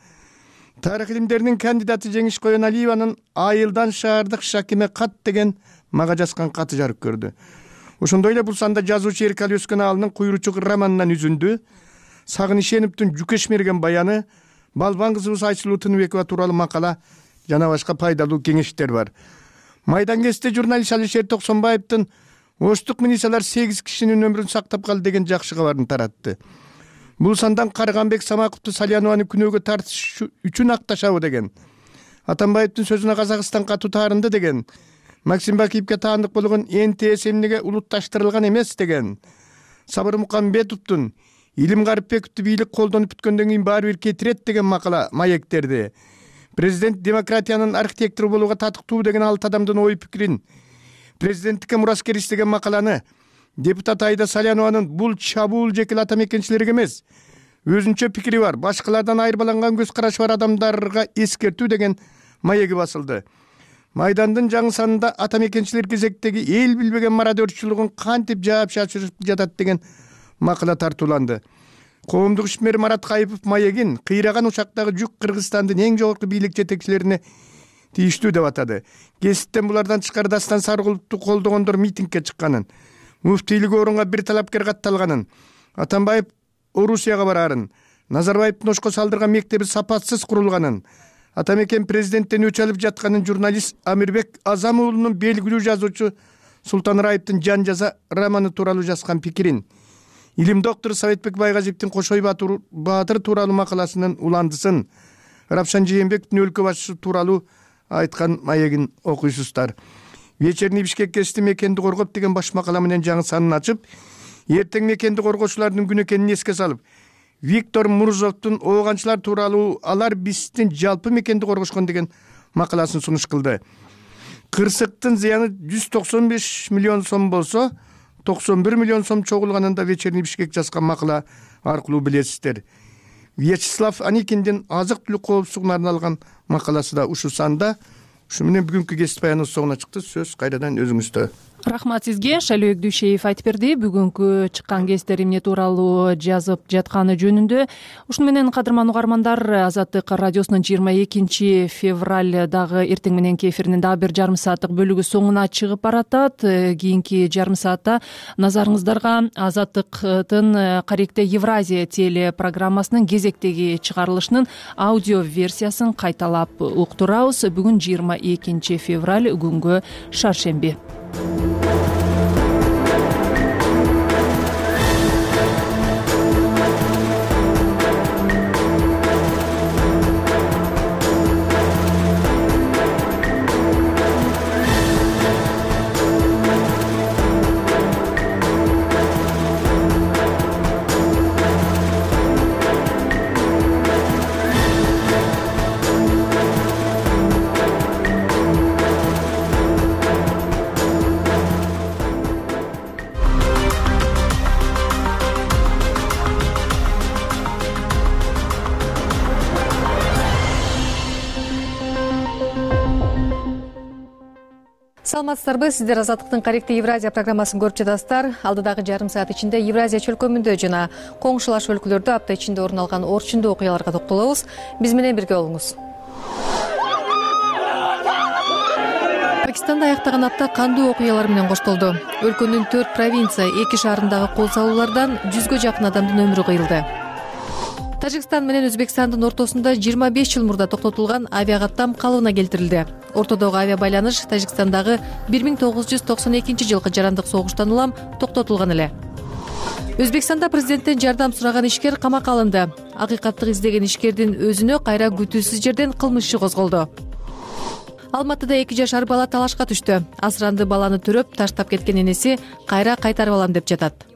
Тарых илимдеринин кандидаты Жеңиш Коеналиеванын Айылдан шаардык Шакиме кат деген мага жазган каты жарык көрдү. Ошондой эле бул санда жазуучу Эркали Өскөналынын Куйручук романынан үзүндү, Сагыныш Ишеновдун Жүкеш мерген баяны, Балбан кызыбыз Айсулуу Тыныбекова тууралуу макала жана башка пайдалуу кеңештер бар. Майдан кесте журналист Алишер Токсонбаевдин Оштук милициялар сегиз кишинин өмүрүн сактап калды деген жакшы кабарын таратты. Бул сандан Карганбек Самаковду Салянованын күнөөгө тартыш үчүн акташабы деген. Атамбаевдин сөзүнө Казакстан катуу таарынды деген. Максим Бакиевге таандык болгон Эн Тэ Эс эмнеге улутташтырылган эмес деген. Сабыр Мукамбетовдун Илим Гарипбековду бийлик колдонуп бүткөндөн кийин баары бир кетирет деген макала маектерди. Президент демократиянын архитектору болууга татыктуу деген алты адамдын ой пикирин, президенттикке мураскер иштеген макаланы депутат Айда Салянованын бул чабуул жекел ата мекенчилерге эмес, өзүнчө пикири бар, башкалардан айырбаланган көз карашы бар адамдарга эскертүү деген маеги басылды. Майдандын жаңы санында ата мекенчилер кезектеги эл билбеген мародерчилигин кантип жаап чачырып жатат деген макала тартууланды. Коомдук ишмер Марат Кайыпов маегин кыйраган учактагы жүк Кыргызстандын эң жогорку бийлик жетекчилерине тийиштүү деп атады. Кесиптен булардан тышкары Дастан Саркуловду колдогондор митингге чыкканын, муфтийлик орунга бир талапкер катталганын, Атамбаев Орусияга барарын, Назарбаевдин Ошко салдырган мектеби сапатсыз курулганын, ата мекен президенттен өч алып жатканын журналист Амирбек Азам уулунун белгилүү жазуучу Султан Раевдин Жан жаза романы тууралуу жазган пикирин, илим доктору Советбек Байгазиевдин Кошой Баатыр тууралуу макаласынын уландысын, Равшан Жээнбековдун өлкө башчысы тууралуу айткан маегин окуйсуздар. Вечерний Бишкек кести мекенди коргоп деген баш макала менен жаңы санын ачып, эртең мекенди коргоочулардын күнү экенин эске салып, Виктор Мурзовдун ооганчылар тууралуу алар биздин жалпы мекенди коргошкон деген макаласын сунуш кылды. Кырсыктын зыяны жүз токсон беш миллион сом болсо, токсон бир миллион сом чогулганында Вечерний Бишкек жазган макала аркылуу билесиздер. Вячеслав Аникиндин азык-түлүк коопсуздугуна арналган макаласы да ушу санда. Ушу менен бүгүнкү кесип баяныбыз соңуна чыкты. Сөз кайрадан өзүңүздө. Рахмат сизге. Шайлоо Дүйшеев айтып берди. Бүгүнкү чыккан кесиптер эмне тууралуу жазып жатканы жөнүндө. Ушуну менен кадырман угармандар, Азаттык радиосунун жыйырма экинчи февралдагы эртең мененки эфиринин дагы бир жарым сааттык бөлүгү соңуна чыгып баратат. Кийинки жарым саатта назарыңыздарга Азаттыктын Каректе Евразия телепрограммасынын кезектеги чыгарылышынын аудио версиясын кайталап уктурабыз. Бүгүн жыйырма экинчи февраль, күнгө шаршемби. Саламатсыздарбы, сиздер Азаттыктын Каректе Евразия программасын көрүп жатасыздар. Алдыдагы жарым саат ичинде Евразия чөлкөмүндө жана коңшулаш өлкөлөрдө апта ичинде орун алган орчундуу окуяларга токтолобуз. Биз менен бирге болуңуз. Пакистанда аяктаган апта кандуу окуялар менен коштолду. Өлкөнүн төрт провинция, эки шаарындагы кол салуулардан жүзгө жакын адамдын өмүрү кыйылды. Тажикстан менен Өзбекстандын ортосунда жыйырма беш жыл мурда токтотулган авиакаттам калыбына келтирилди. Ортодогу авиа байланыш Тажикстандагы бир миң тогуз жүз токсон экинчи жылкы жарандык согуштан улам токтотулган эле. Өзбекстанда президенттен жардам сураган ишкер камакка алынды. Акыйкаттык издеген ишкердин өзүнө кайра күтүүсүз жерден кылмыш иши козголду. Алматыда эки жашар бала талашка түштү. Асыранды баланы төрөп таштап кеткен энеси кайра кайтарып алам деп жатат.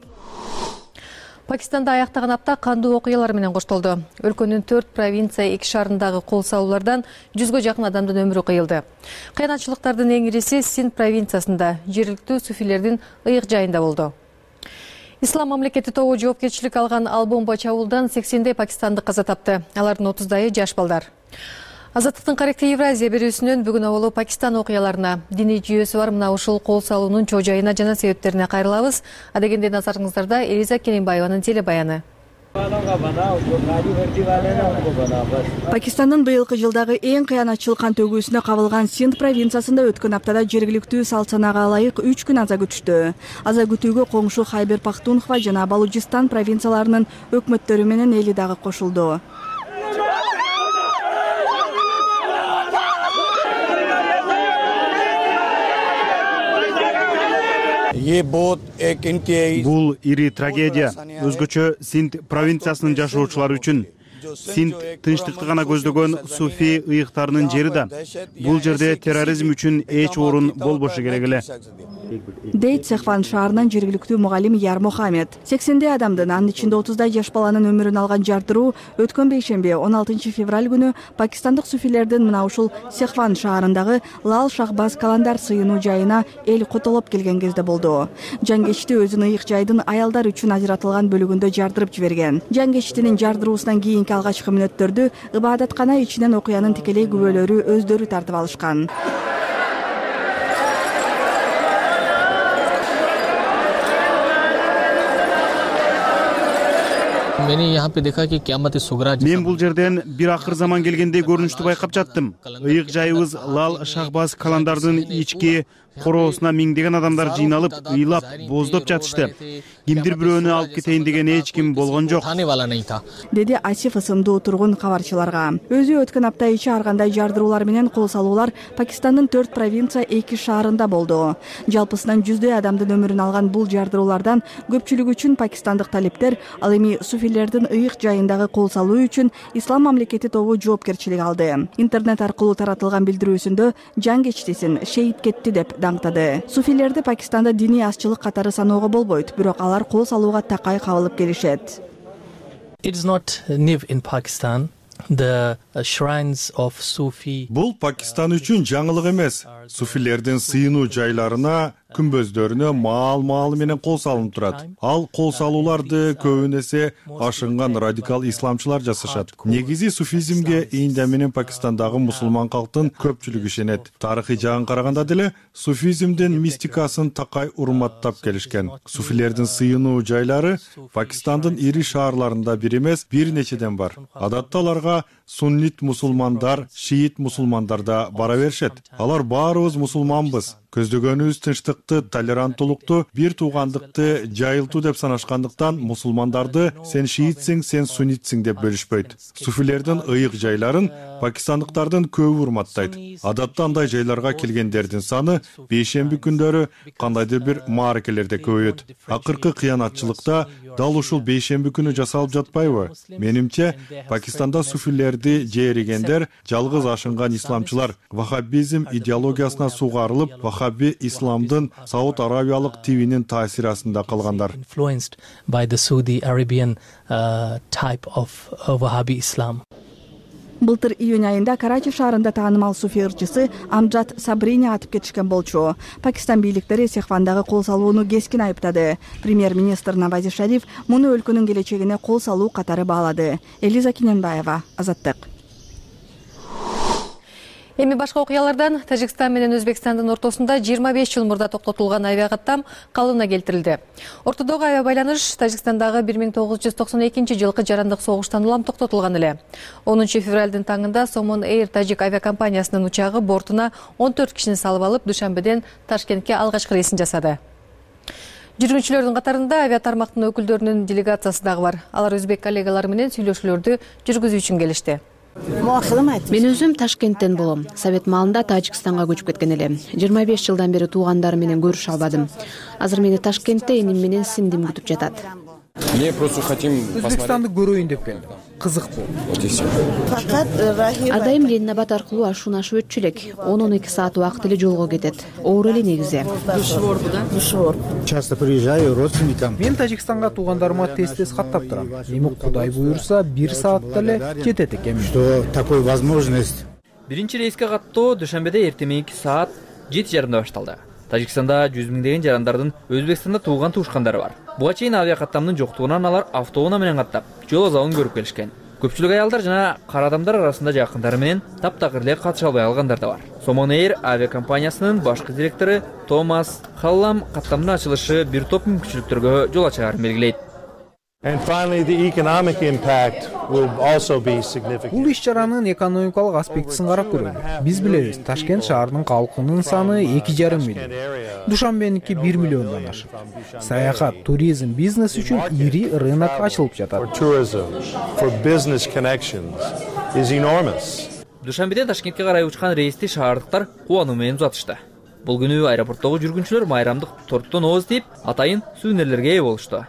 Пакистанда аяктаган апта кандуу окуялар менен коштолду. Өлкөнүн төрт провинция, эки шаарындагы кол салуулардан жүзгө жакын адамдын өмүрү кыйылды. Кыйынчылыктардын эң ириси Синд провинциясында, жергиликтүү суфилердин ыйык жайында болду. Ислам мамлекети тобу жоопкерчилик алган Ал-Бомба чабуулдан сексендей пакистандык каза тапты. Алардын отуздайы жаш балдар. Азаттыктын Каректе Евразия берүүсүнөн бүгүн оболу Пакистан окуяларына, диний жүйөсү бар мына ушул кол салуунун чоо жайына жана себептерине кайрылабыз. Адегенде назарыңыздарда Элиза Келимбаеванын телебаяны. Пакистандын быйылкы жылдагы эң кыянатчыл кан төгүүсүнө кабылган Синд провинциясында өткөн аптада жергиликтүү салт санаага ылайык үч күн аза күтүштү. Аза күтүүгө коңшу Хайбер Пахтунхва жана Балучистан провинцияларынын өкмөттөрү менен эли дагы кошулду. Бул ири трагедия. Өзгөчө Синд провинциясынын жашоочулары үчүн. Синд тынчтыкты гана көздөгөн суфи ыйыктарынын жери да. Бул жерде терроризм үчүн эч орун болбошу керек эле. Дейт Сехван шаарынын жергиликтүү мугалим Яр Мохамед. сексендей адамдын, анын ичинде отуздай жаш баланын өмүрүн алган жардыруу өткөн бейшемби он алтынчы февраль күнү пакистандык суфилердин мына ушул Сехван шаарындагы Лал Шахбаз Каландар сыйынуу жайына эл котолоп келген кезде болду. Жангечти өзүнүн ыйык жайдын аялдар үчүн ажыратылган бөлүгүндө жардырып жиберген. Жангечтинин жардыруусунан кийинки алгачкы мүнөттөрдү ыбадаткана ичинен окуянын тикелей күбөлөрү өздөрү тартып алышкан. Мен бул жерден бир акыр заман келгендей көрүнүштү байкап жаттым. Ыйык жайыбыз Лал Шахбаз Каландардын ички короосуна миңдеген адамдар жыйналып, ыйлап, боздоп жатышты. Кимдир бирөөнү алып кетейин деген эч ким болгон жок, деди Асиф ысымдуу тургун кабарчыларга. Өзү өткөн апта ичи ар кандай жардыруулар менен кол салуулар Пакистандын төрт провинция, эки шаарында болду. Жалпысынан жүздөй адамдын өмүрүн алган бул жардыруулардан көпчүлүгү үчүн пакистандык талиптер, ал эми суфилердин ыйык жайындагы кол салуу үчүн Ислам мамлекети тобу жоопкерчилик алды. Интернет аркылуу таратылган билдирүүсүндө жангечтисин шейит кетти деп даңктады. Суфилерди Пакистанда диний азчылык катары саноого болбойт, бирок алар кол салууга такай кабылып келишет. Бул Пакистан үчүн жаңылык эмес. Суфилердин сыйынуу жайларына күмбөздөрүнө маал маалы менен кол салынып турат. Ал кол салууларды көбүн эсе ашынган радикал исламчылар жасашат. Негизи суфизмге Индия менен Пакистандагы мусулман калктын көпчүлүгү ишенет. Тарыхый жагын караганда деле суфизмдин мистикасын такай урматтап келишкен. Суфилердин сыйынуу жайлары Пакистандын ири шаарларында бир эмес, бир нечеден бар. Адатта аларга суннит мусулмандар, шиит мусулмандар да бара беришет. Алар баарыбыз мусулманбыз. Көздөгөнүбүз тынчтыкты, толеранттуулукту, бир туугандыкты жайылтуу деп санашкандыктан мусулмандарды сен шиитсиң, сен суннитсиң деп бөлүшпөйт. Суфилердин ыйык жайларын пакистандыктардын көбү урматтайт. Адатта андай жайларга келгендердин саны бейшемби күндөрү кандайдыр бир мааракелерде көбөйөт. Акыркы кыянатчылыкта дал ушул бейшемби күнү жасалып жатпайбы? Менимче, Пакистанда суфилерди жээригендер жалгыз ашынган исламчылар ваххабизм идеологиясына сугарылып, ваххаби исламдын Сауд Арабиялык тивинин таасири астында калгандар. Былтыр июнь айында Карачи шаарында таанымал суфи ырчысы Амджад Сабрини атып кетишкен болчу. Пакистан бийликтери Сехвандагы кол салууну кескин айыптады. Премьер-министр Навази Шариф муну өлкөнүн келечегине кол салуу катары баалады. Элиза Киненбаева, Азаттык. Эми башка окуялардан Тажикстан менен Өзбекстандын ортосунда жыйырма беш жыл мурда токтотулган авиакаттам калыбына келтирилди. Ортодогу авиа байланыш Тажикстандагы бир миң тогуз жүз токсон экинчи жылкы жарандык согуштан улам токтотулган эле. онунчу февралдын таңында Somon Air Тажик авиакомпаниясынын учагы бортуна он төрт кишини салып алып, Душанбеден Ташкентке алгачкы рейсин жасады. Жүргүнчүлөрдүн катарында авиатармактын өкүлдөрүнүн делегациясы дагы бар. Алар өзбек коллегалары менен сүйлөшүүлөрдү жүргүзүү үчүн келишти. Мен өзүм Ташкенттен болом. Совет маалында Тажикстанга көчүп кеткен элем. жыйырма беш жылдан бери туугандарым менен көрүшө албадым. Азыр мени Ташкентте эним менен сиңдим күтүп жатат. Өзбекстанды көрөйүн деп келдим. Кызык бул. Ар дайым Ленинабад аркылуу ашууну ашып өтчү элек. он он эки саат убакыт эле жолго кетет. Оор эле негизи. Часто приезжаю родственникам. Мен Тажикстанга туугандарыма тез-тез каттап турам. Эми Кудай буйрса бир саатта эле жетет экенмин. Что такой возможность? Биринчи рейске каттоо Душанбеде эртең мененки саат жети жарымда башталды. Тажикстанда жүз миңдеген жарандардын Өзбекстанда тууган туушкандары бар. Буга чейин авиакаттамдын жоктугунан алар автоунаа менен каттап, жол азабын көрүп келишкен. Көпчүлүк аялдар жана кара адамдар арасында жакындары менен таптакыр эле катыша албай алгандар да бар. Somon Air авиакомпаниясынын башкы директору Томас Халлам каттамдын ачылышы бир топ мүмкүнчүлүктөргө жол ачаарын белгилейт. Бул иш-чаранын экономикалык аспектисин карап көрөлү. Биз билебиз, Ташкент шаарынын калкынын саны эки жарым миллион. Душанбеники бир миллиондон ашык. Саякат, туризм, бизнес үчүн ири рынок ачылып жатат. Душанбеден Ташкентке карай учкан рейсти шаардыктар кубануу менен узатышты. Бул күнү аэропорттогу жүргүнчүлөр майрамдык торттон ооз тийип, атайын сүйүнөрлөргө ээ болушту.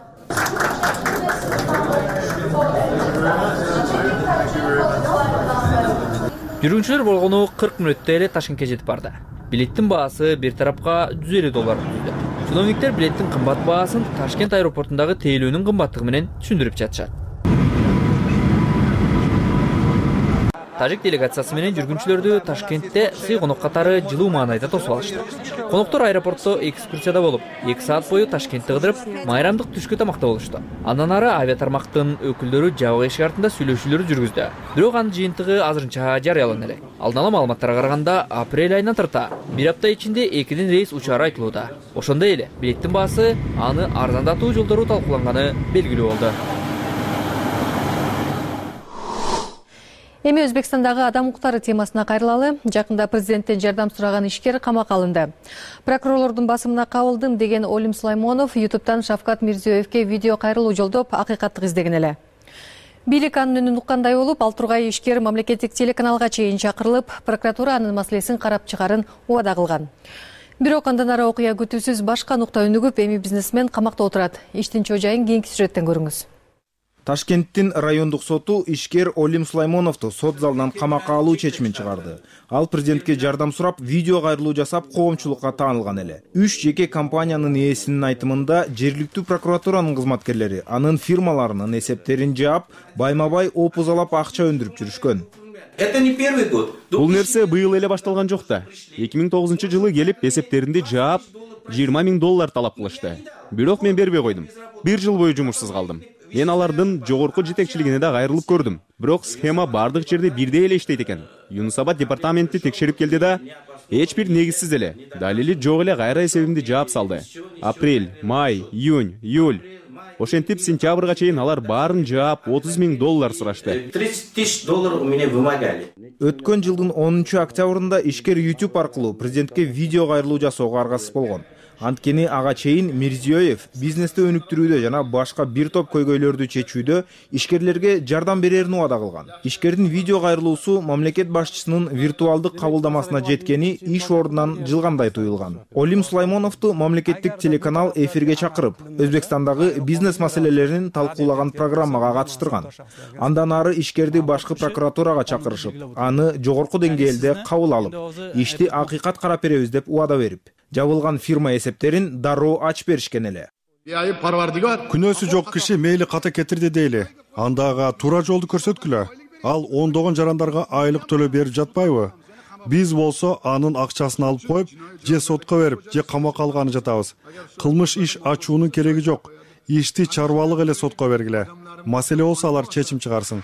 Жүргүнчүлөр болгону кырк мүнөттө эле Ташкентке жетип барды. Билеттин баасы бир тарапка жүз элүү доллар түздү. Чиновниктер билеттин кымбат баасын Ташкент аэропортундагы тейлөөнүн кымбаттыгы менен түшүндүрүп жатышат. Тажик делегациясы менен жүргүнчүлөрдү Ташкентте сый конок катары жылуу маанайда тосуп алышты. Коноктор аэропортто экскурсияда болуп, эки саат бою Ташкентти кыдырып, майрамдык түшкү тамакта болушту. Андан ары авиатармактын өкүлдөрү жабык эшик артында сүйлөшүүлөр жүргүздү. Бирок анын жыйынтыгы азырынча жарыялана элек. Алдын ала маалыматтарга караганда, апрель айынан тарта бир апта ичинде экиден рейс учаары айтылууда. Ошондой эле билеттин баасы аны арзандатуу жолдору талкууланганы белгилүү болду. Эми Өзбекстандагы адам укуктары темасына кайрылалы. Жакында президенттен жардам сураган ишкер камакка алынды. Прокурорлордун басымына кабылдым деген Олим Сулаймонов YouTube'тан Шавкат Мирзиёевке видео кайрылуу жолдоп акыйкаттык издеген эле. Бийлик анын үнүн уккандай болуп, ал тургай ишкер мамлекеттик телеканалга чейин чакырылып, прокуратура анын маселесин карап чыгарын убада кылган. Бирок андан ары окуя күтүүсүз башка нукта өнүгүп, эми бизнесмен камакта отурат. Иштин чожайын кийинки сюжеттен көрүңүз. Ташкенттин райондук соту ишкер Олим Сулаймоновду сот залынан камакка алуу чечимин чыгарды. Ал президентке жардам сурап, видео кайрылуу жасап, коомчулукка таанылган эле. Үч жеке компаниянын ээсинин айтымында, жергиликтүү прокуратуранын кызматкерлери анын фирмаларынын эсептерин жаап, байма-бай опузалап акча өндүрүп жүрүшкөн. Это не первый год. Бул нерсе быйыл эле башталган жок да. эки миң тогузунчу жылы келип эсептеринди жаап, жыйырма миң доллар талап кылышты. Бирок мен бербей койдум. Бир жыл бою жумушсуз калдым. Мен алардын жогорку жетекчилигине да кайрылып көрдүм. Бирок схема бардык жерде бирдей эле иштейт экен. Юнусабад департаменти текшерип келди да, эч бир негизсиз эле, далили жок эле кайра эсебимди жаап салды. Апрель, май, июнь, июль. Ошентип сентябрга чейин алар баарын жаап отуз миң доллар сурашты. тридцать тысяч долларов у меня вымогали. Өткөн жылдын онунчу октябрында ишкер YouTube аркылуу президентке видео кайрылуу жасоого аргасыз болгон. Анткени ага чейин Мирзиёев бизнести өнүктүрүүдө жана башка бир топ көйгөйлөрдү чечүүдө ишкерлерге жардам берерин убада кылган. Ишкердин видео кайрылуусу мамлекет башчысынын виртуалдык кабылдамасына жеткени иш ордунан жылгандай туюлган. Олим Сулаймоновду мамлекеттик телеканал эфирге чакырып, Өзбекстандагы бизнес маселелерин талкуулаган программага катыштырган. Андан ары ишкерди башкы прокуратурага чакырышып, аны жогорку деңгээлде кабыл алып, ишти акыйкат карап беребиз деп убада берип, жабылган фирма эсептерин дароо ачып беришкен эле. Күнөөсү жок киши мейли ката кетирди дейли. Андага туура жолду көрсөткүлө. Ал ондогон жарандарга айлык төлөп берип жатпайбы? Биз болсо анын акчасын алып коюп, же сотко берип, же камакка алганы жатабыз. Кылмыш иш ачуунун кереги жок. Ишти чарбалык эле сотко бергиле. Маселе болсо алар чечим чыгарсын.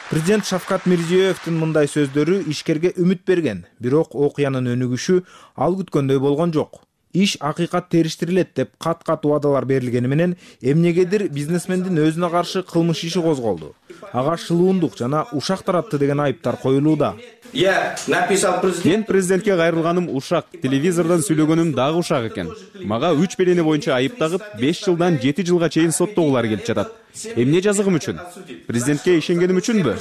Президент Шавкат Мирзиёевдин мындай сөздөрү ишкерге үмүт берген, бирок окуянын өнүгүшү ал күткөндөй болгон жок. Иш акыйкат териштирилет деп кат-кат убадалар берилгени менен эмнегедир бизнесмендин өзүнө каршы кылмыш иши козголду. Ага шылуундук жана ушак таратты деген айыптар коюлууда. Я написал президент. Мен президентке кайрылганым ушак, телевизордон сүйлөгөнүм дагы ушак экен. Мага үч берене боюнча айып тагып, беш жылдан жети жылга чейин соттогулар келип жатат. Эмне жазыгым үчүн? Президентке ишенгеним үчүнбү?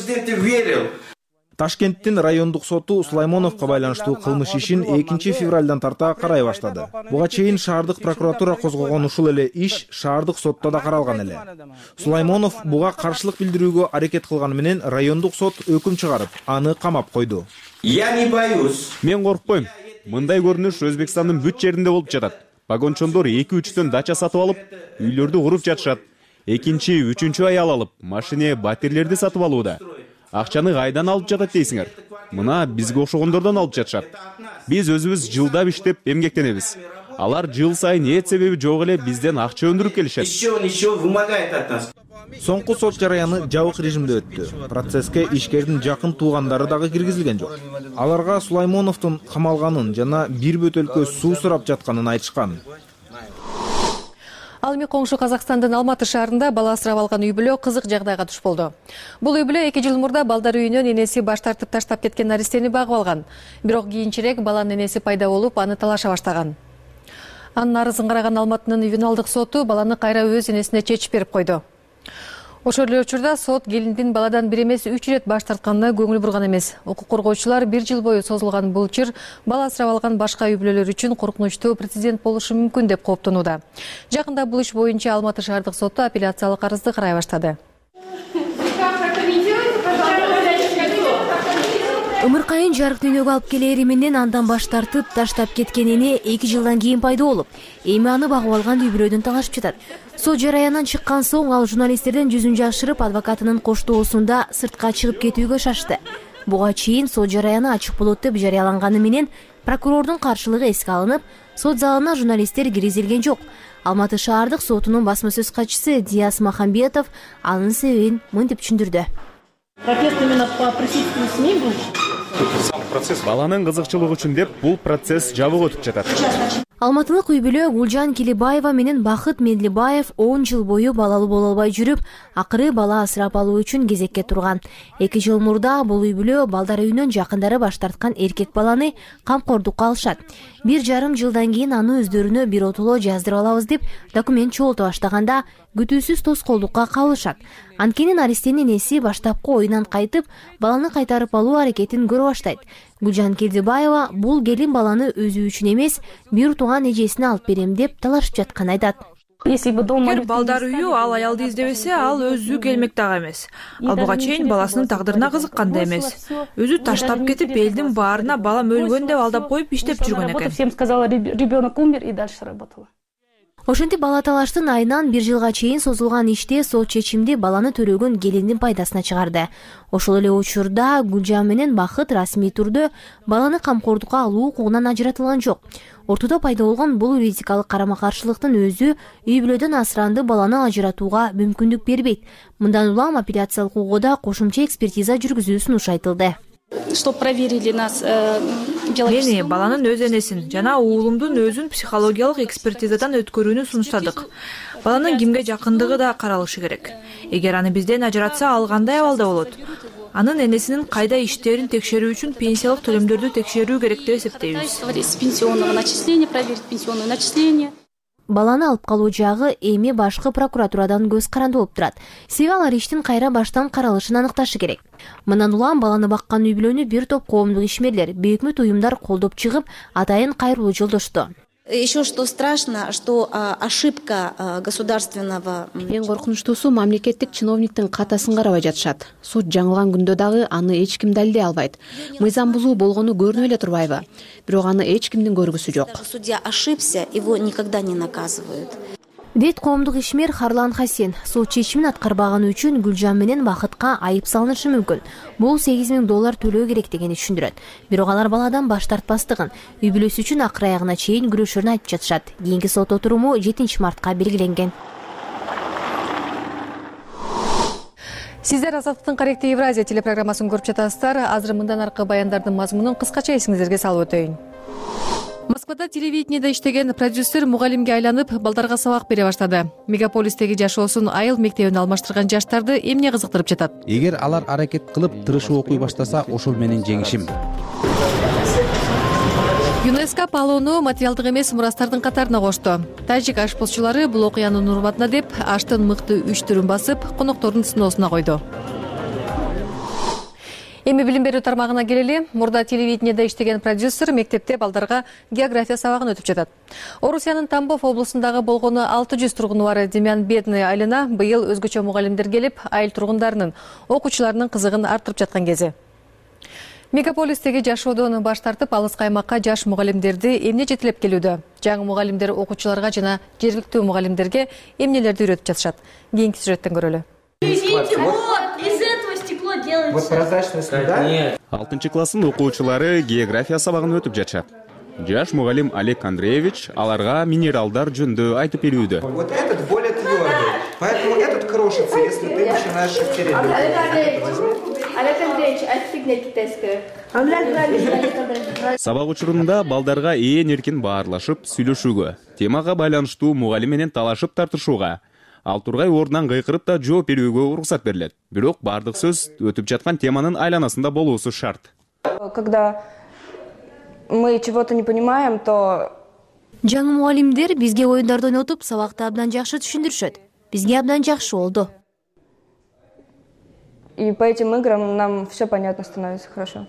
Ташкенттин райондук соту Сулаймоновго байланыштуу кылмыш ишин экинчи февралдан тарта карай баштады. Буга чейин шаардык прокуратура козгогон ушул эле иш шаардык сотто да каралган эле. Сулаймонов буга каршылык билдирүүгө аракет кылганы менен райондук сот өкүм чыгарып, аны камап койду. Я не боюсь. Мен коркпойм. Мындай көрүнүш Өзбекстандын бүт жеринде болуп жатат. Погончондор эки-үчтөн дача сатып алып, үйлөрдү куруп жатышат. Экинчи, үчүнчү аял алып, машине, батирлерди сатып алууда. Акчаны кайдан алып жатат дейсиңер? Мына бизге окшогондордон алып жатышат. Биз өзүбүз жылдап иштеп эмгектенебиз. Алар жыл сайын эч себеби жок эле бизден акча өндүрүп келишет. Соңку сот жараяны жабык режимде өттү. Процесске ишкердин жакын туугандары дагы киргизилген жок. Аларга Сулаймоновдун камалганын жана бир бөтөлкө суу сурап жатканын айтышкан. Ал эми коңшу Казакстандын Алматы шаарында бала асырап алган үй бүлө кызык жагдайга туш болду. Бул үй бүлө эки жыл мурда балдар үйүнөн энеси баш тартып таштап кеткен наристени багып алган. Бирок кийинчерээк баланын энеси пайда болуп, аны талаша баштаган. Анын арызын караган Алматынын ювеналдык соту баланы кайра өз энесине чечип берип койду. Ошол эле учурда сот келиндин баладан бир эмес үч ирет баш тартканына көңүл бурган эмес. Укук коргоочулар бир жыл бою созулган бул чыр бала асырап алган башка үй бүлөлөр үчүн коркунучтуу прецедент болушу мүмкүн деп кооптонууда. Жакында бул иш боюнча Алматы шаардык соту апелляциялык арызды карай баштады. Ымыркайын жарык дүйнөгө алып келери менен андан баш тартып таштап кеткен эне эки жылдан кийин пайда болуп, эми аны багып алган үй бүлөдөн талашып жатат. Сот жараяндан чыккан соң ал журналисттерден жүзүн жашырып, адвокатынын коштоосунда сыртка чыгып кетүүгө шашты. Буга чейин сот жараяны ачык болот деп жарыяланганы менен прокурордун каршылыгы эске алынып, сот залына журналисттер киргизилген жок. Алматы шаардык сотунун басма сөз катчысы Диас Махамбетов анын себебин мынтип түшүндүрдү. Протест именно по присутствию СМИ был? Баланын кызыкчылыгы үчүн деп бул процесс жабык өтүп жатат. Алматылык үй бүлө Гулжан Килибаева менен Бакыт Медлибаев он жыл бою балалуу боло албай жүрүп, акыры бала асырап алуу үчүн кезекке турган. эки жыл мурда бул үй бүлө балдар үйүнөн жакындары баш тарткан эркек баланы камкордукка алышат. Бир жарым жылдан кийин аны өздөрүнө бир отоло жаздырып алабыз деп документ чогулта баштаганда күтүүсүз тоскоолдукка кабылышат. Анткени наристенин энеси баштапкы оюнан кайтып, баланы кайтарып алуу аракетин көрө баштайт. Гүлжан Келдибаева бул келин баланы өзү үчүн эмес, бир тууган эжесине алып берем деп талашып жатканын айтат. Эгер балдар үйү ал аялды издебесе, ал өзү келмек дагы эмес. Ал буга чейин баласынын тагдырына кызыккан да эмес. Өзү таштап кетип, элдин баарына балам өлгөн деп алдап коюп иштеп жүргөн экен. Ошентип бала талаштын айынан бир жылга чейин созулган иште сот чечимди баланы төрөгөн келиндин пайдасына чыгарды. Ошол эле учурда Гүлжан менен Бакыт расмий түрдө баланы камкордукка алуу укугунан ажыратылган жок. Ортодо пайда болгон бул юридикалык карама-каршылыктын өзү үй бүлөдөн асыранды баланы ажыратууга мүмкүндүк бербейт. Мындан улам апелляциялык угууда кошумча экспертиза жүргүзүү сунушу айтылды. Чтоб проверили нас мени баланын өз энесин жана уулумдун өзүн психологиялык экспертизадан өткөрүүнү сунуштадык. Баланын кимге жакындыгы да каралышы керек. Эгер аны бизден ажыратса ал кандай абалда болот? Анын энесинин кайда иштерин текшерүү үчүн пенсиялык төлөмдөрдү текшерүү керек деп эсептейбиз. Пенсионного начисления, проверить пенсионное начисление. Баланы алып калуу жагы эми башкы прокуратурадан көз каранды болуп турат. Себеби алар иштин кайра баштан каралышын аныкташы керек. Мындан улам баланы баккан үй бүлөнү бир топ коомдук ишмерлер, бейөкмөт уюмдар колдоп чыгып, атайын кайрылуу жолдошту. Еще что страшно, что ошибка государственного. Эң коркунучтуусу мамлекеттик чиновниктин катасын карабай жатышат. Суд жаңылган күндө дагы аны эч ким далилдей албайт. Мыйзам бузуу болгону көрүнүп эле турбайбы? Бирок аны эч кимдин көргүсү жок. Судья ошибся, его никогда не наказывают. Дейт коомдук ишмер Харлан Хасен. Сот чечимин аткарбаганы үчүн Гүлжан менен Бакытка айып салынышы мүмкүн. Бул сегиз миң доллар төлөө керек дегени түшүндүрөт. Бирок алар баладан баш тартпастыгын, үй бүлөсү үчүн акыр аягына чейин күрөшөрүн айтып жатышат. Кийинки сот отуруму жетинчи мартка белгиленген. Сиздер Азаттыктын Каректи Евразия телепрограммасын көрүп жатасыздар. Азыр мындан аркы баяндардын мазмунун кыскача эсиңиздерге салып өтөйүн. Москвада телевидениеде иштеген продюсер мугалимге айланып, балдарга сабак бере баштады. Мегаполистеги жашоосун айыл мектебине алмаштырган жаштарды эмне кызыктырып жатат? Эгер алар аракет кылып, тырышып окуй баштаса, ошол менин жеңишим. ЮНЕСКО палоону материалдык эмес мурастардын катарына кошту. Тажик ашпозчулары бул окуянын урматына деп аштын мыкты үч түрүн басып, коноктордун сыноосуна койду. Эми билим берүү тармагына келели. Мурда телевидениеде иштеген продюсер мектепте балдарга география сабагын өтүп жатат. Орусиянын Тамбов облусундагы болгону алты жүз тургуну бар Демян Бедный айылына быйыл өзгөчө мугалимдер келип, айыл тургундарынын, окуучуларынын кызыгын арттырып жаткан кези. Мегаполистеги жашоодон баш тартып, алыскы аймакка жаш мугалимдерди эмне жетелеп келүүдө? Жаңы мугалимдер окуучуларга жана жергиликтүү мугалимдерге эмнелерди үйрөтүп жатышат? Кийинки сюжеттен көрөлү. Вот прозрачность, да? алтынчы класстын окуучулары география сабагын өтүп жатышат. Жаш мугалим Олег Андреевич аларга минералдар жөнүндө айтып берүүдө. Вот этот более твердый, поэтому этот крошится, если ты начинаешь шахтерить. Олег Андреевич, отстегни китайскую. Сабак учурунда балдарга ээн эркин баарлашып, сүйлөшүүгө, темага байланыштуу мугалим менен талашып тартышууга, ал тургай ордунан кыйкырып да жооп берүүгө уруксат берилет. Бирок бардык сөз өтүп жаткан теманын айланасында болуусу шарт. Когда мы чего-то не понимаем, то жаңы мугалимдер бизге оюндарды ойнотуп, сабакты абдан жакшы түшүндүрүшөт. Бизге абдан жакшы болду. И по этим играм нам все понятно становится хорошо.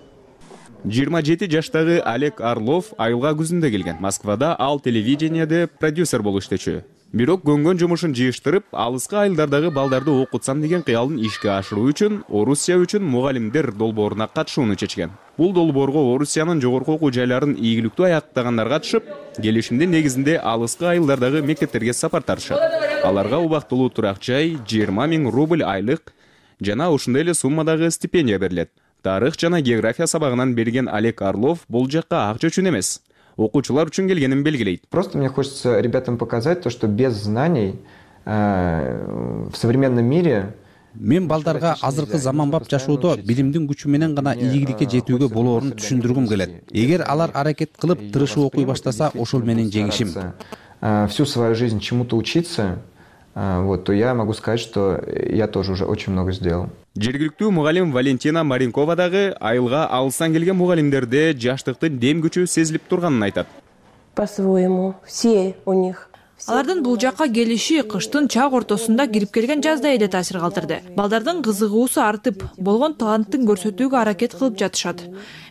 жыйырма жети жаштагы Олег Орлов айылга күзүндө келген. Москвада ал телевидениеде продюсер болуп иштечү. Бирок көнгөн жумушун жыйыштырып, алыскы айылдардагы балдарды окутсам деген кыялын ишке ашыруу үчүн Орусия үчүн мугалимдер долбооруна катышууну чечкен. Бул долбоорго Орусиянын жогорку окуу жайларын ийгиликтүү аяктагандар катышып, келишимдин негизинде алыскы айылдардагы мектептерге сапар тартышат. Аларга убактылуу турак жай, жыйырма миң рубль айлык жана ушундай эле суммадагы стипендия берилет. Тарых жана география сабагынан берген Олег Орлов бул жакка акча үчүн эмес, окуучулар үчүн келгенин белгилейт. Просто мне хочется ребятам показать то, что без знаний э, в современном мире мен балдарга азыркы заманбап жашоодо билимдин күчү менен гана ийгиликке жетүүгө болоорун түшүндүргүм келет. Эгер алар аракет кылып, тырышып окуй баштаса, ошол менин жеңишим. Всю свою жизнь чему-то учиться, вот, то я могу сказать, что я тоже уже очень много сделал. Жергиликтүү мугалим Валентина Маринкова дагы айылга алыстан келген мугалимдерде жаштыктын дем күчү сезилип турганын айтат. По-своему, все у них. Алардын бул жакка келиши кыштын чак ортосунда кирип келген жаздай эле таасир калтырды. Балдардын кызыгуусу артып, болгон таланттын көрсөтүүгө аракет кылып жатышат.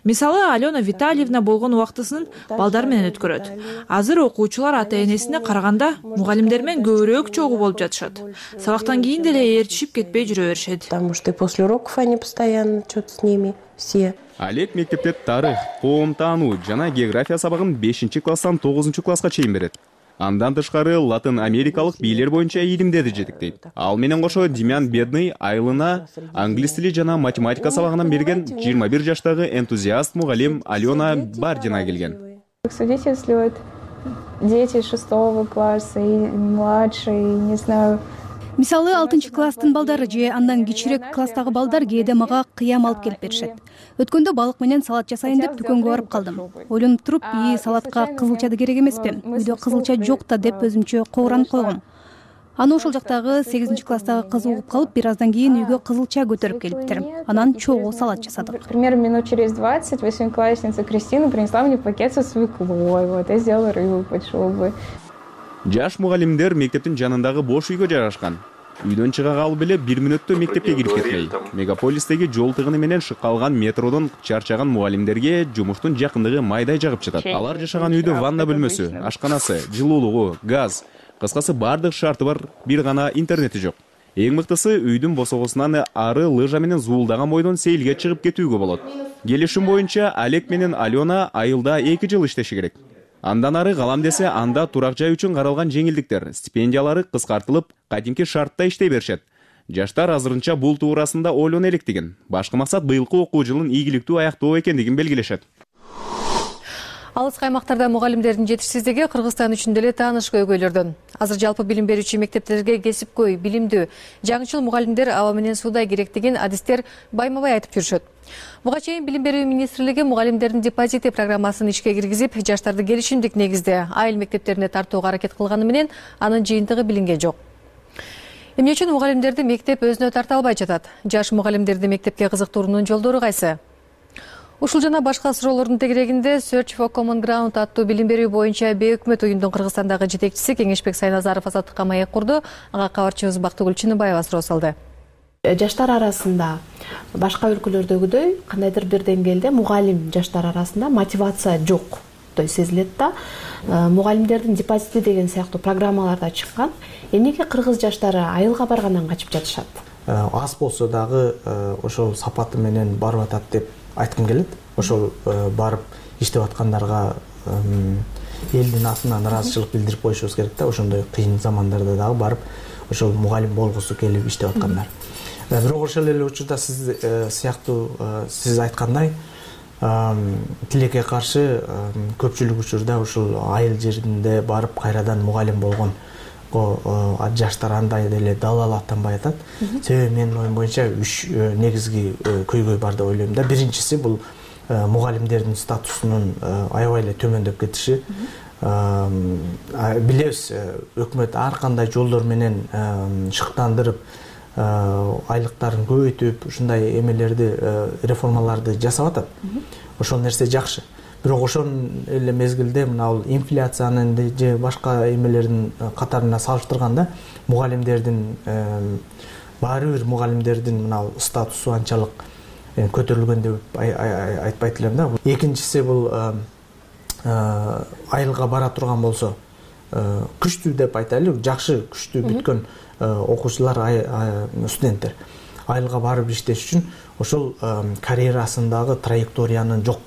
Мисалы, Алена Витальевна болгон убактысын балдар менен өткөрөт. Азыр окуучулар ата-энесине караганда мугалимдер менен көбүрөөк чогуу болуп жатышат. Сабактан кийин деле ээрчишип кетпей жүрө беришет. Потому что после уроков они постоянно что-то с ними все. Олег мектепте тарых, коом таануу жана география сабагын бешинчи класстан тогузунчу класска чейин берет. Андан тышкары Латын Америкалык бийлер боюнча илимдерди жетектейт. Ал менен кошо Демьян Бедный айылына англис тили жана математика сабагынан берген жыйырма бир жаштагы энтузиаст мугалим Алена Бардина келген. Свидетельствуют дети шестого класса и младше, и не знаю. Мисалы алтынчы класстын балдары же андан кичирээк класстагы балдар кээде мага кыям алып келип беришет. Өткөндө балык менен салат жасайын деп дүкөнгө барып калдым. Ойлонуп туруп, "И салатка кызылча да керек эмеспи? Үйдө кызылча жок да" деп өзүмчө кооранып койгом. Аны ошол жактагы сегизинчи класстагы кыз угуп калып, бир аздан кийин үйгө кызылча көтөрүп келиптир. Анан чогуу салат жасадык. Примерно минут через двадцать восьмиклассница Кристина принесла мне пакет со свеклой. Вот я сделала рыбу под шубой. Жаш мугалимдер мектептин жанындагы бош үйгө жайгашкан. Үйдөн чыга калып эле бир мүнөттө мектепке кирип кетпей. Мегаполистеги жол тыгыны менен шыккалган метродон чарчаган мугалимдерге жумуштун жакындыгы майдай жагып жатат. Алар жашаган үйдө ванна бөлмөсү, ашканасы, жылуулугу, газ, кыскасы бардык шарты бар, бир гана интернети жок. Эң мыктысы, үйдүн босогосунан ары лыжа менен зуулдаган бойдон сейилге чыгып кетүүгө болот. Келишим боюнча Олег менен Алена айылда эки жыл иштеши керек. Андан ары калам десе, анда турак жай үчүн каралган жеңилдиктер, стипендиялары кыскартылып, кадимки шартта иштей беришет. Жаштар азырынча бул туурасында ойлоно элек деген. Башкы максат быйылкы окуу жылын ийгиликтүү аяктоо экендигин белгилешет. Алыскы аймактарда мугалимдердин жетишсиздиги Кыргызстан үчүн деле тааныш көйгөйлөрдөн. Азыр жалпы билим берүүчү мектептерге кесипкөй, билимдүү, жаңычыл мугалимдер аба менен суудай керектигин адистер байма-бай айтып жүрүшөт. Буга чейин Билим берүү министрлиги мугалимдердин депозити программасын ишке киргизип, жаштарды келишимдик негизде айыл мектептерине тартууга аракет кылганы менен анын жыйынтыгы билинген жок. Эмне үчүн мугалимдерди мектеп өзүнө тарта албай жатат? Жаш мугалимдерди мектепке кызыктыруунун жолдору кайсы? Ушул жана башка суроолордун тегерегинде Search for Common Ground аттуу билим берүү боюнча бейөкмөт уюмдун Кыргызстандагы жетекчиси Кеңешбек Сайназаров азаттыкка маек курду. Ага кабарчыбыз Бактыгүл Чыныбаева суроо салды. Жаштар арасында башка өлкөлөрдөгүдөй кандайдыр бир деңгээлде мугалим жаштар арасында мотивация жок той сезилет да. Мугалимдердин депозити деген сыяктуу программалар да чыккан. Эмнеге кыргыз жаштары айылга баргандан качып жатышат? Аз болсо дагы ошол сапаты менен барып атат деп айткым келет. Ошол барып иштеп аткандарга элдин атынан ыраазычылык билдирип коюшубуз керек да. Ошондой кыйын замандарда дагы барып ошол мугалим болгусу келип иштеп аткандар. Бирок ошол эле учурда сиз сыяктуу сиз айткандай тилекке каршы көпчүлүк учурда ушул айыл жеринде барып кайрадан мугалим болгон жаштар андай деле далал аттанбай атат. Себеби менин оюм боюнча үч негизги көйгөй бар деп ойлойм да. Биринчиси бул мугалимдердин статусунун аябай эле төмөндөп кетиши. Билебиз, өкмөт ар кандай жолдор менен шыктандырып, айлыктарын көбөйтүп, ушундай эмелерди, реформаларды жасап атат. Ошол нерсе жакшы. Бирок ошол эле мезгилде мына бул инфляциянын же башка эмелердин катарына салыштырганда мугалимдердин баары бир мугалимдердин мына статусу анчалык көтөрүлгөн деп айтпайт элем да. Экинчиси бул айылга бара турган болсо күчтүү деп айтайлы, жакшы күчтүү бүткөн окуучулар, студенттер айылга барып иштеш үчүн ошол карьерасындагы траекториянын жок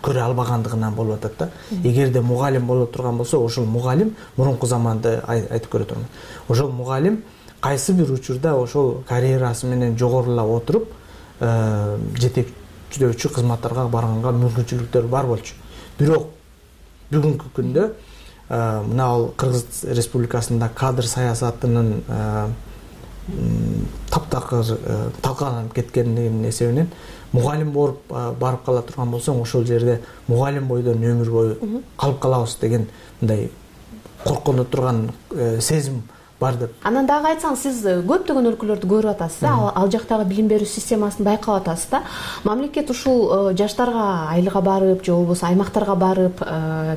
көрө албагандыгынан болуп атат да. Эгерде мугалим боло турган болсо, ошол мугалим мурунку заманда айтып көрө турмун. Ошол мугалим кайсы бир учурда ошол карьерасы менен жогорулап отуруп жетекчилөөчү кызматтарга барганга мүмкүнчүлүктөр бар болчу. Бирок бүгүнкү күндө мына ал Кыргыз Республикасында кадр саясатынын таптакыр талкаланып кеткендигинин эсебинен мугалим болуп барып кала турган болсоң, ошол жерде мугалим бойдон өмүр бою калып калабыз деген мындай коркуну турган сезим бар деп. Анан дагы айтсаңыз, сиз көптөгөн өлкөлөрдү көрүп атасыз да, ал жактагы билим берүү системасын байкап атасыз да. Мамлекет ушул жаштарга айылга барып, же болбосо аймактарга барып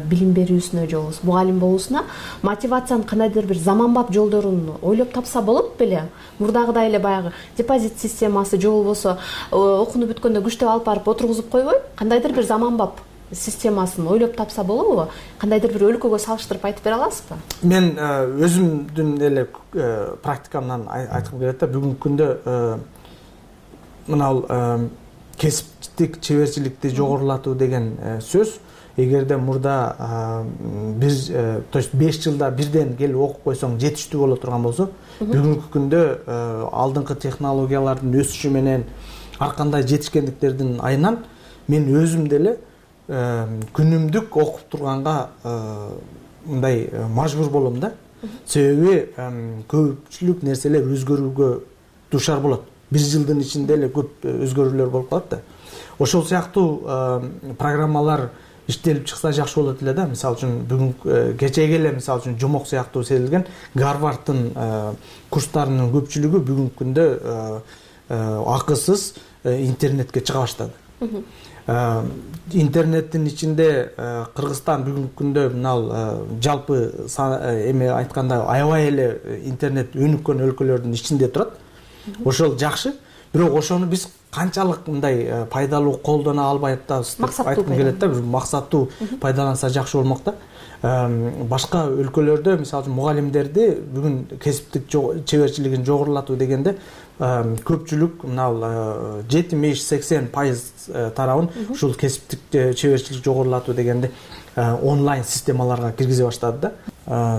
билим берүүсүнө, же болбосо мугалим болуусуна мотивациянын кандайдыр бир заманбап жолдорун ойлоп тапса болот беле? Мурдагыдай эле баягы депозит системасы, же болбосо окууну бүткөндө күчтөп алып барып отургузуп койбой, кандайдыр бир заманбап системасын ойлоп тапса болобу? Кандайдыр бир өлкөгө салыштырып айтып бере аласызбы? Мен өзүмдүн эле практикамдан айткым келет да. Бүгүнкү күндө мына кесиптик чеберчиликти жогорулатуу деген сөз эгерде мурда бир то есть беш жылда бирден келип окуп койсоң жетиштүү боло турган болсо, бүгүнкү күндө алдыңкы технологиялардын өсүшү менен ар кандай жетишкендиктердин айынан мен өзүм деле күнүмдүк окуп турганга мындай мажбур болом да. Себеби көпчүлүк нерселер өзгөрүүгө дуушар болот. Бир жылдын ичинде эле көп өзгөрүүлөр болуп калат да. Ошол сыяктуу программалар иштелип чыкса жакшы болот эле да. Мисалы үчүн бүгүн кечеге эле мисалы үчүн жомок сыяктуу сезилген Гарварддын курстарынын көпчүлүгү бүгүнкү күндө акысыз интернетке чыга баштады. Интернеттин ичинде Кыргызстан бүгүнкү күндө мынал жалпы эме айтканда аябай эле интернет өнүккөн өлкөлөрдүн ичинде турат. Ошол жакшы, бирок ошону биз канчалык мындай пайдалуу колдоно албай атабыз деп айткым келет да. Бир максаттуу пайдаланса жакшы болмок да. Башка өлкөлөрдө мисалы үчүн мугалимдерди бүгүн кесиптик чеберчилигин жогорулатуу дегенде көпчүлүк мынал жетимиш сексен пайыз тарабын ушул кесиптик чеберчилик жогорулатуу дегенде онлайн системаларга киргизе баштады да.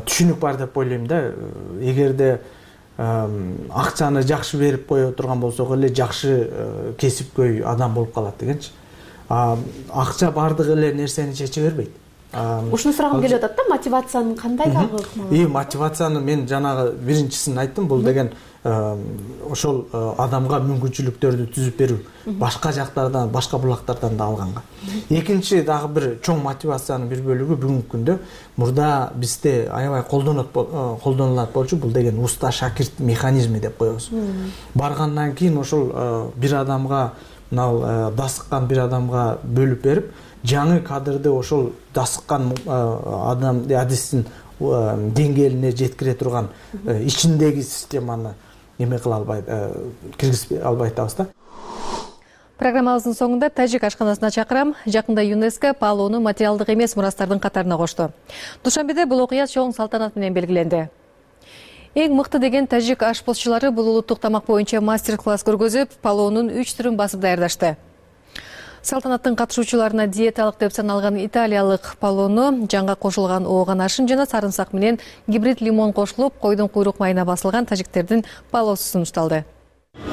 Түшүнүк бар деп ойлойм да. Эгерде акчаны жакшы берип кое турган болсок эле жакшы кесипкөй адам болуп калат дегенчи. Акча бардык эле нерсени чече бербейт. Ушуну сурагым келип атат да, мотивациянын кандай дагы ыкмасы? И мотивацияны мен жанагы биринчисин айттым, бул деген ошол адамга мүмкүнчүлүктөрдү түзүп берүү, башка жактардан, башка булактардан да алганга. Экинчи дагы бир чоң мотивациянын бир бөлүгү бүгүнкү күндө мурда бизде аябай колдонот колдонулат болчу, бул деген уста шакирт механизми деп коебуз. Баргандан кийин ошол бир адамга мынал дасыккан бир адамга бөлүп берип, жаңы кадрды ошол дасыккан адам адистин деңгээлине жеткире турган ичиндеги системаны эме кыла албайт, киргизип албай атабыз да. Программабыздын соңунда тажик ашканасына чакырам. Жакында ЮНЕСКО палоону материалдык эмес мурастардын катарына кошту. Душанбеде бул окуя чоң салтанат менен белгиленди. Эң мыкты деген тажик ашпозчулары бул улуттук тамак боюнча мастер-класс көргөзүп, палоонун үч түрүн басып даярдашты. Салтанаттын катышуучуларына диеталык деп саналган италиялык палоону, жанга кошулган ооган ашын жана сарымсак менен гибрид лимон кошулуп, койдун куйрук майына басылган тажиктердин палоосу сунушталды.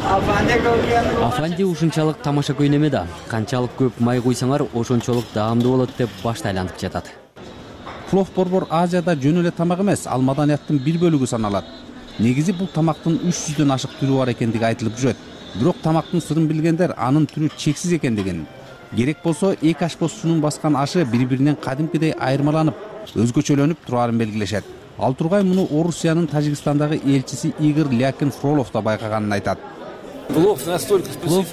Афанди ушунчалык тамаша көйнеме да. Канчалык көп май куйсаңар, ошончолук даамдуу болот деп башта айланып жатат. Плов борбор Азияда жөн эле тамак эмес, ал маданияттын бир бөлүгү саналат. Негизи бул тамактын үч жүздөн ашык түрү бар экендиги айтылып жүрөт. Бирок тамактын сырын билгендер анын түрү чексиз экендигин, керек болсо эки ашпозчунун баскан ашы бири-биринен кадимкидей айырмаланып, өзгөчөлөнүп турарын белгилешет. Ал тургай муну Орусиянын Тажикстандагы элчиси Игорь Лякин Фролов да байкаганын айтат. Плов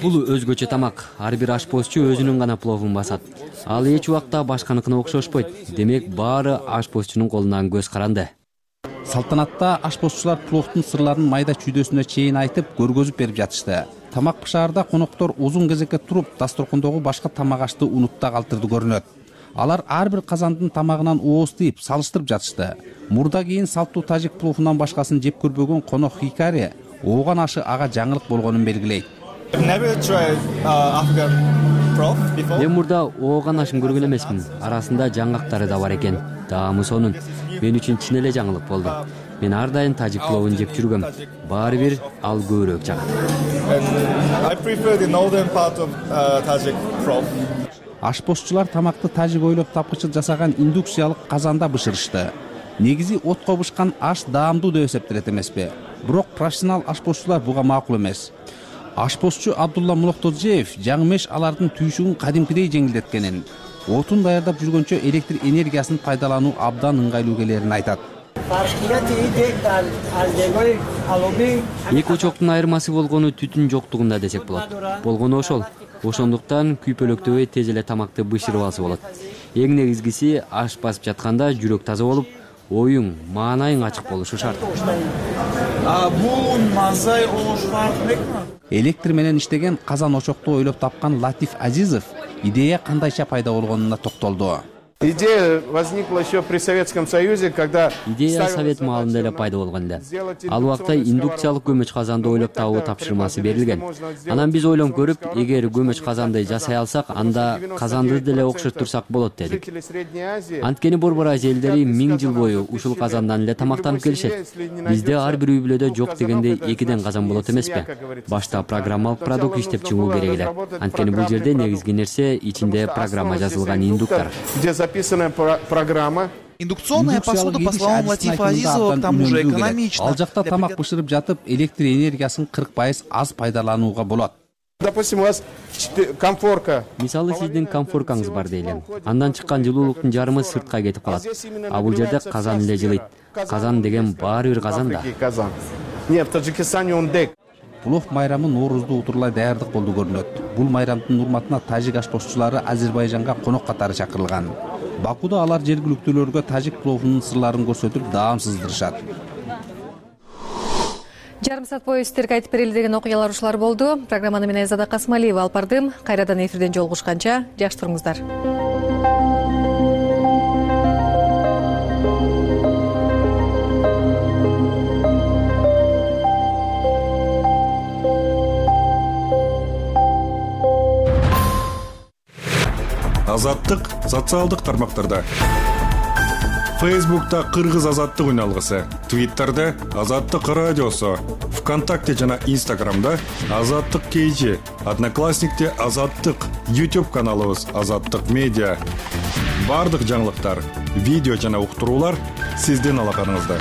бул өзгөчө тамак. Ар бир ашпозчу өзүнүн гана пловун басат. Ал эч убакта башканыкына окшошпойт. Демек, баары ашпозчунун колунан көз каранды. Салтанатта ашпозчулар пловдун сырларын майда чүйдөсүнө чейин айтып, көргөзүп берип жатышты. Тамак бышаарда коноктор узун кезекке туруп, дасторкондогу башка тамак ашты унутта калтырды көрүнөт. Алар ар бир казандын тамагынан ооз тийип, салыштырып жатышты. Мурда кийин салттуу тажик пловунан башкасын жеп көрбөгөн конок Хикари ооган ашы ага жаңылык болгонун белгилейт. Мен мурда ооган ашын көргөн эмесмин. Арасында жаңгактары да бар экен. Даамы сонун. Мен үчүн чын эле жаңылык болду. Мен ар дайым тажик пловун жеп жүргөм. Баары бир ал көбүрөөк жагат. Ашпозчулар тамакты тажик ойлоп тапкычы жасаган индукциялык казанда бышырышты. Негизи отко бышкан аш даамдуу деп эсептелет эмеспи? Бирок профессионал ашпозчулар буга макул эмес. Ашпозчу Абдулла Мулоктозжиев жаңы меш алардын түйшүгүн кадимкидей жеңилдеткенин, отун даярдап жүргөнчө электр энергиясын пайдалануу абдан ыңгайлуу келерин айтат. Эки очоктун айырмасы болгону түтүн жоктугунда десек болот. Болгону ошол. Ошондуктан күйпөлөктөбөй тез эле тамакты бышырып алса болот. Эң негизгиси аш басып жатканда жүрөк таза болуп, оюң, маанайың ачык болушу шарт. Электр менен иштеген казан очокту ойлоп тапкан Латиф Азизов идея кандайча пайда болгонуна токтолду. Идея возникла еще при Советском Союзе, когда... Идея совет маалында эле пайда болгон эле. Ал убакта индукциялык көмөч казанды ойлоп табуу тапшырмасы берилген. Анан биз ойлонуп көрүп, эгер көмөч казанды жасай алсак, анда казанды деле окшоттурсак болот дедик. Анткени Борбор Азия элдери миң жыл бою ушул казандан эле тамактанып келишет. Бизде ар бир үй бүлөдө жок дегенде экиден казан болот эмеспи? Башта программалык продукт иштеп чыгуу керек эле. Анткени бул жерде негизги нерсе ичинде программа жазылган индуктор. Записанная программа. Индукционная посуда, по словам Латифа Азизова, к тому же экономична. Ал жакта тамак бышырып жатып, электр энергиясын кырк пайыз аз пайдаланууга болот. Допустим, у вас комфорка. Мисалы сиздин комфоркаңыз бар дейли. Андан чыккан жылуулуктун жарымы сыртка кетип калат. А бул жерде казан эле жылыйт. Казан деген баары бир казан да. Нет, в Таджикистане он дек. Плов майрамы Ноорузду утурлай даярдык болду көрүнөт. Бул майрамдын урматына тажик ашпозчулары Азербайжанга конок катары чакырылган. Бакуда алар жергиликтүүлөргө тажик пловунун сырларын көрсөтүп даам сыздырышат. Жарым саат бою сиздерге айтып берели деген окуялар ушулар болду. Программаны мен Айзада Касымалиева алып бардым. Кайрадан эфирден жолугушканча жакшы туруңуздар. Азаттык социалдык тармактарда. Фейсбукта Кыргыз азаттык үналгысы, Твиттерде Азаттык радиосу, ВКонтакте жана Инстаграмда Азаттык кей жи, Одноклассникте Азаттык, YouTube каналыбыз Азаттык медиа. Бардык жаңылыктар, видео жана уктуруулар сиздин алаканыңызда.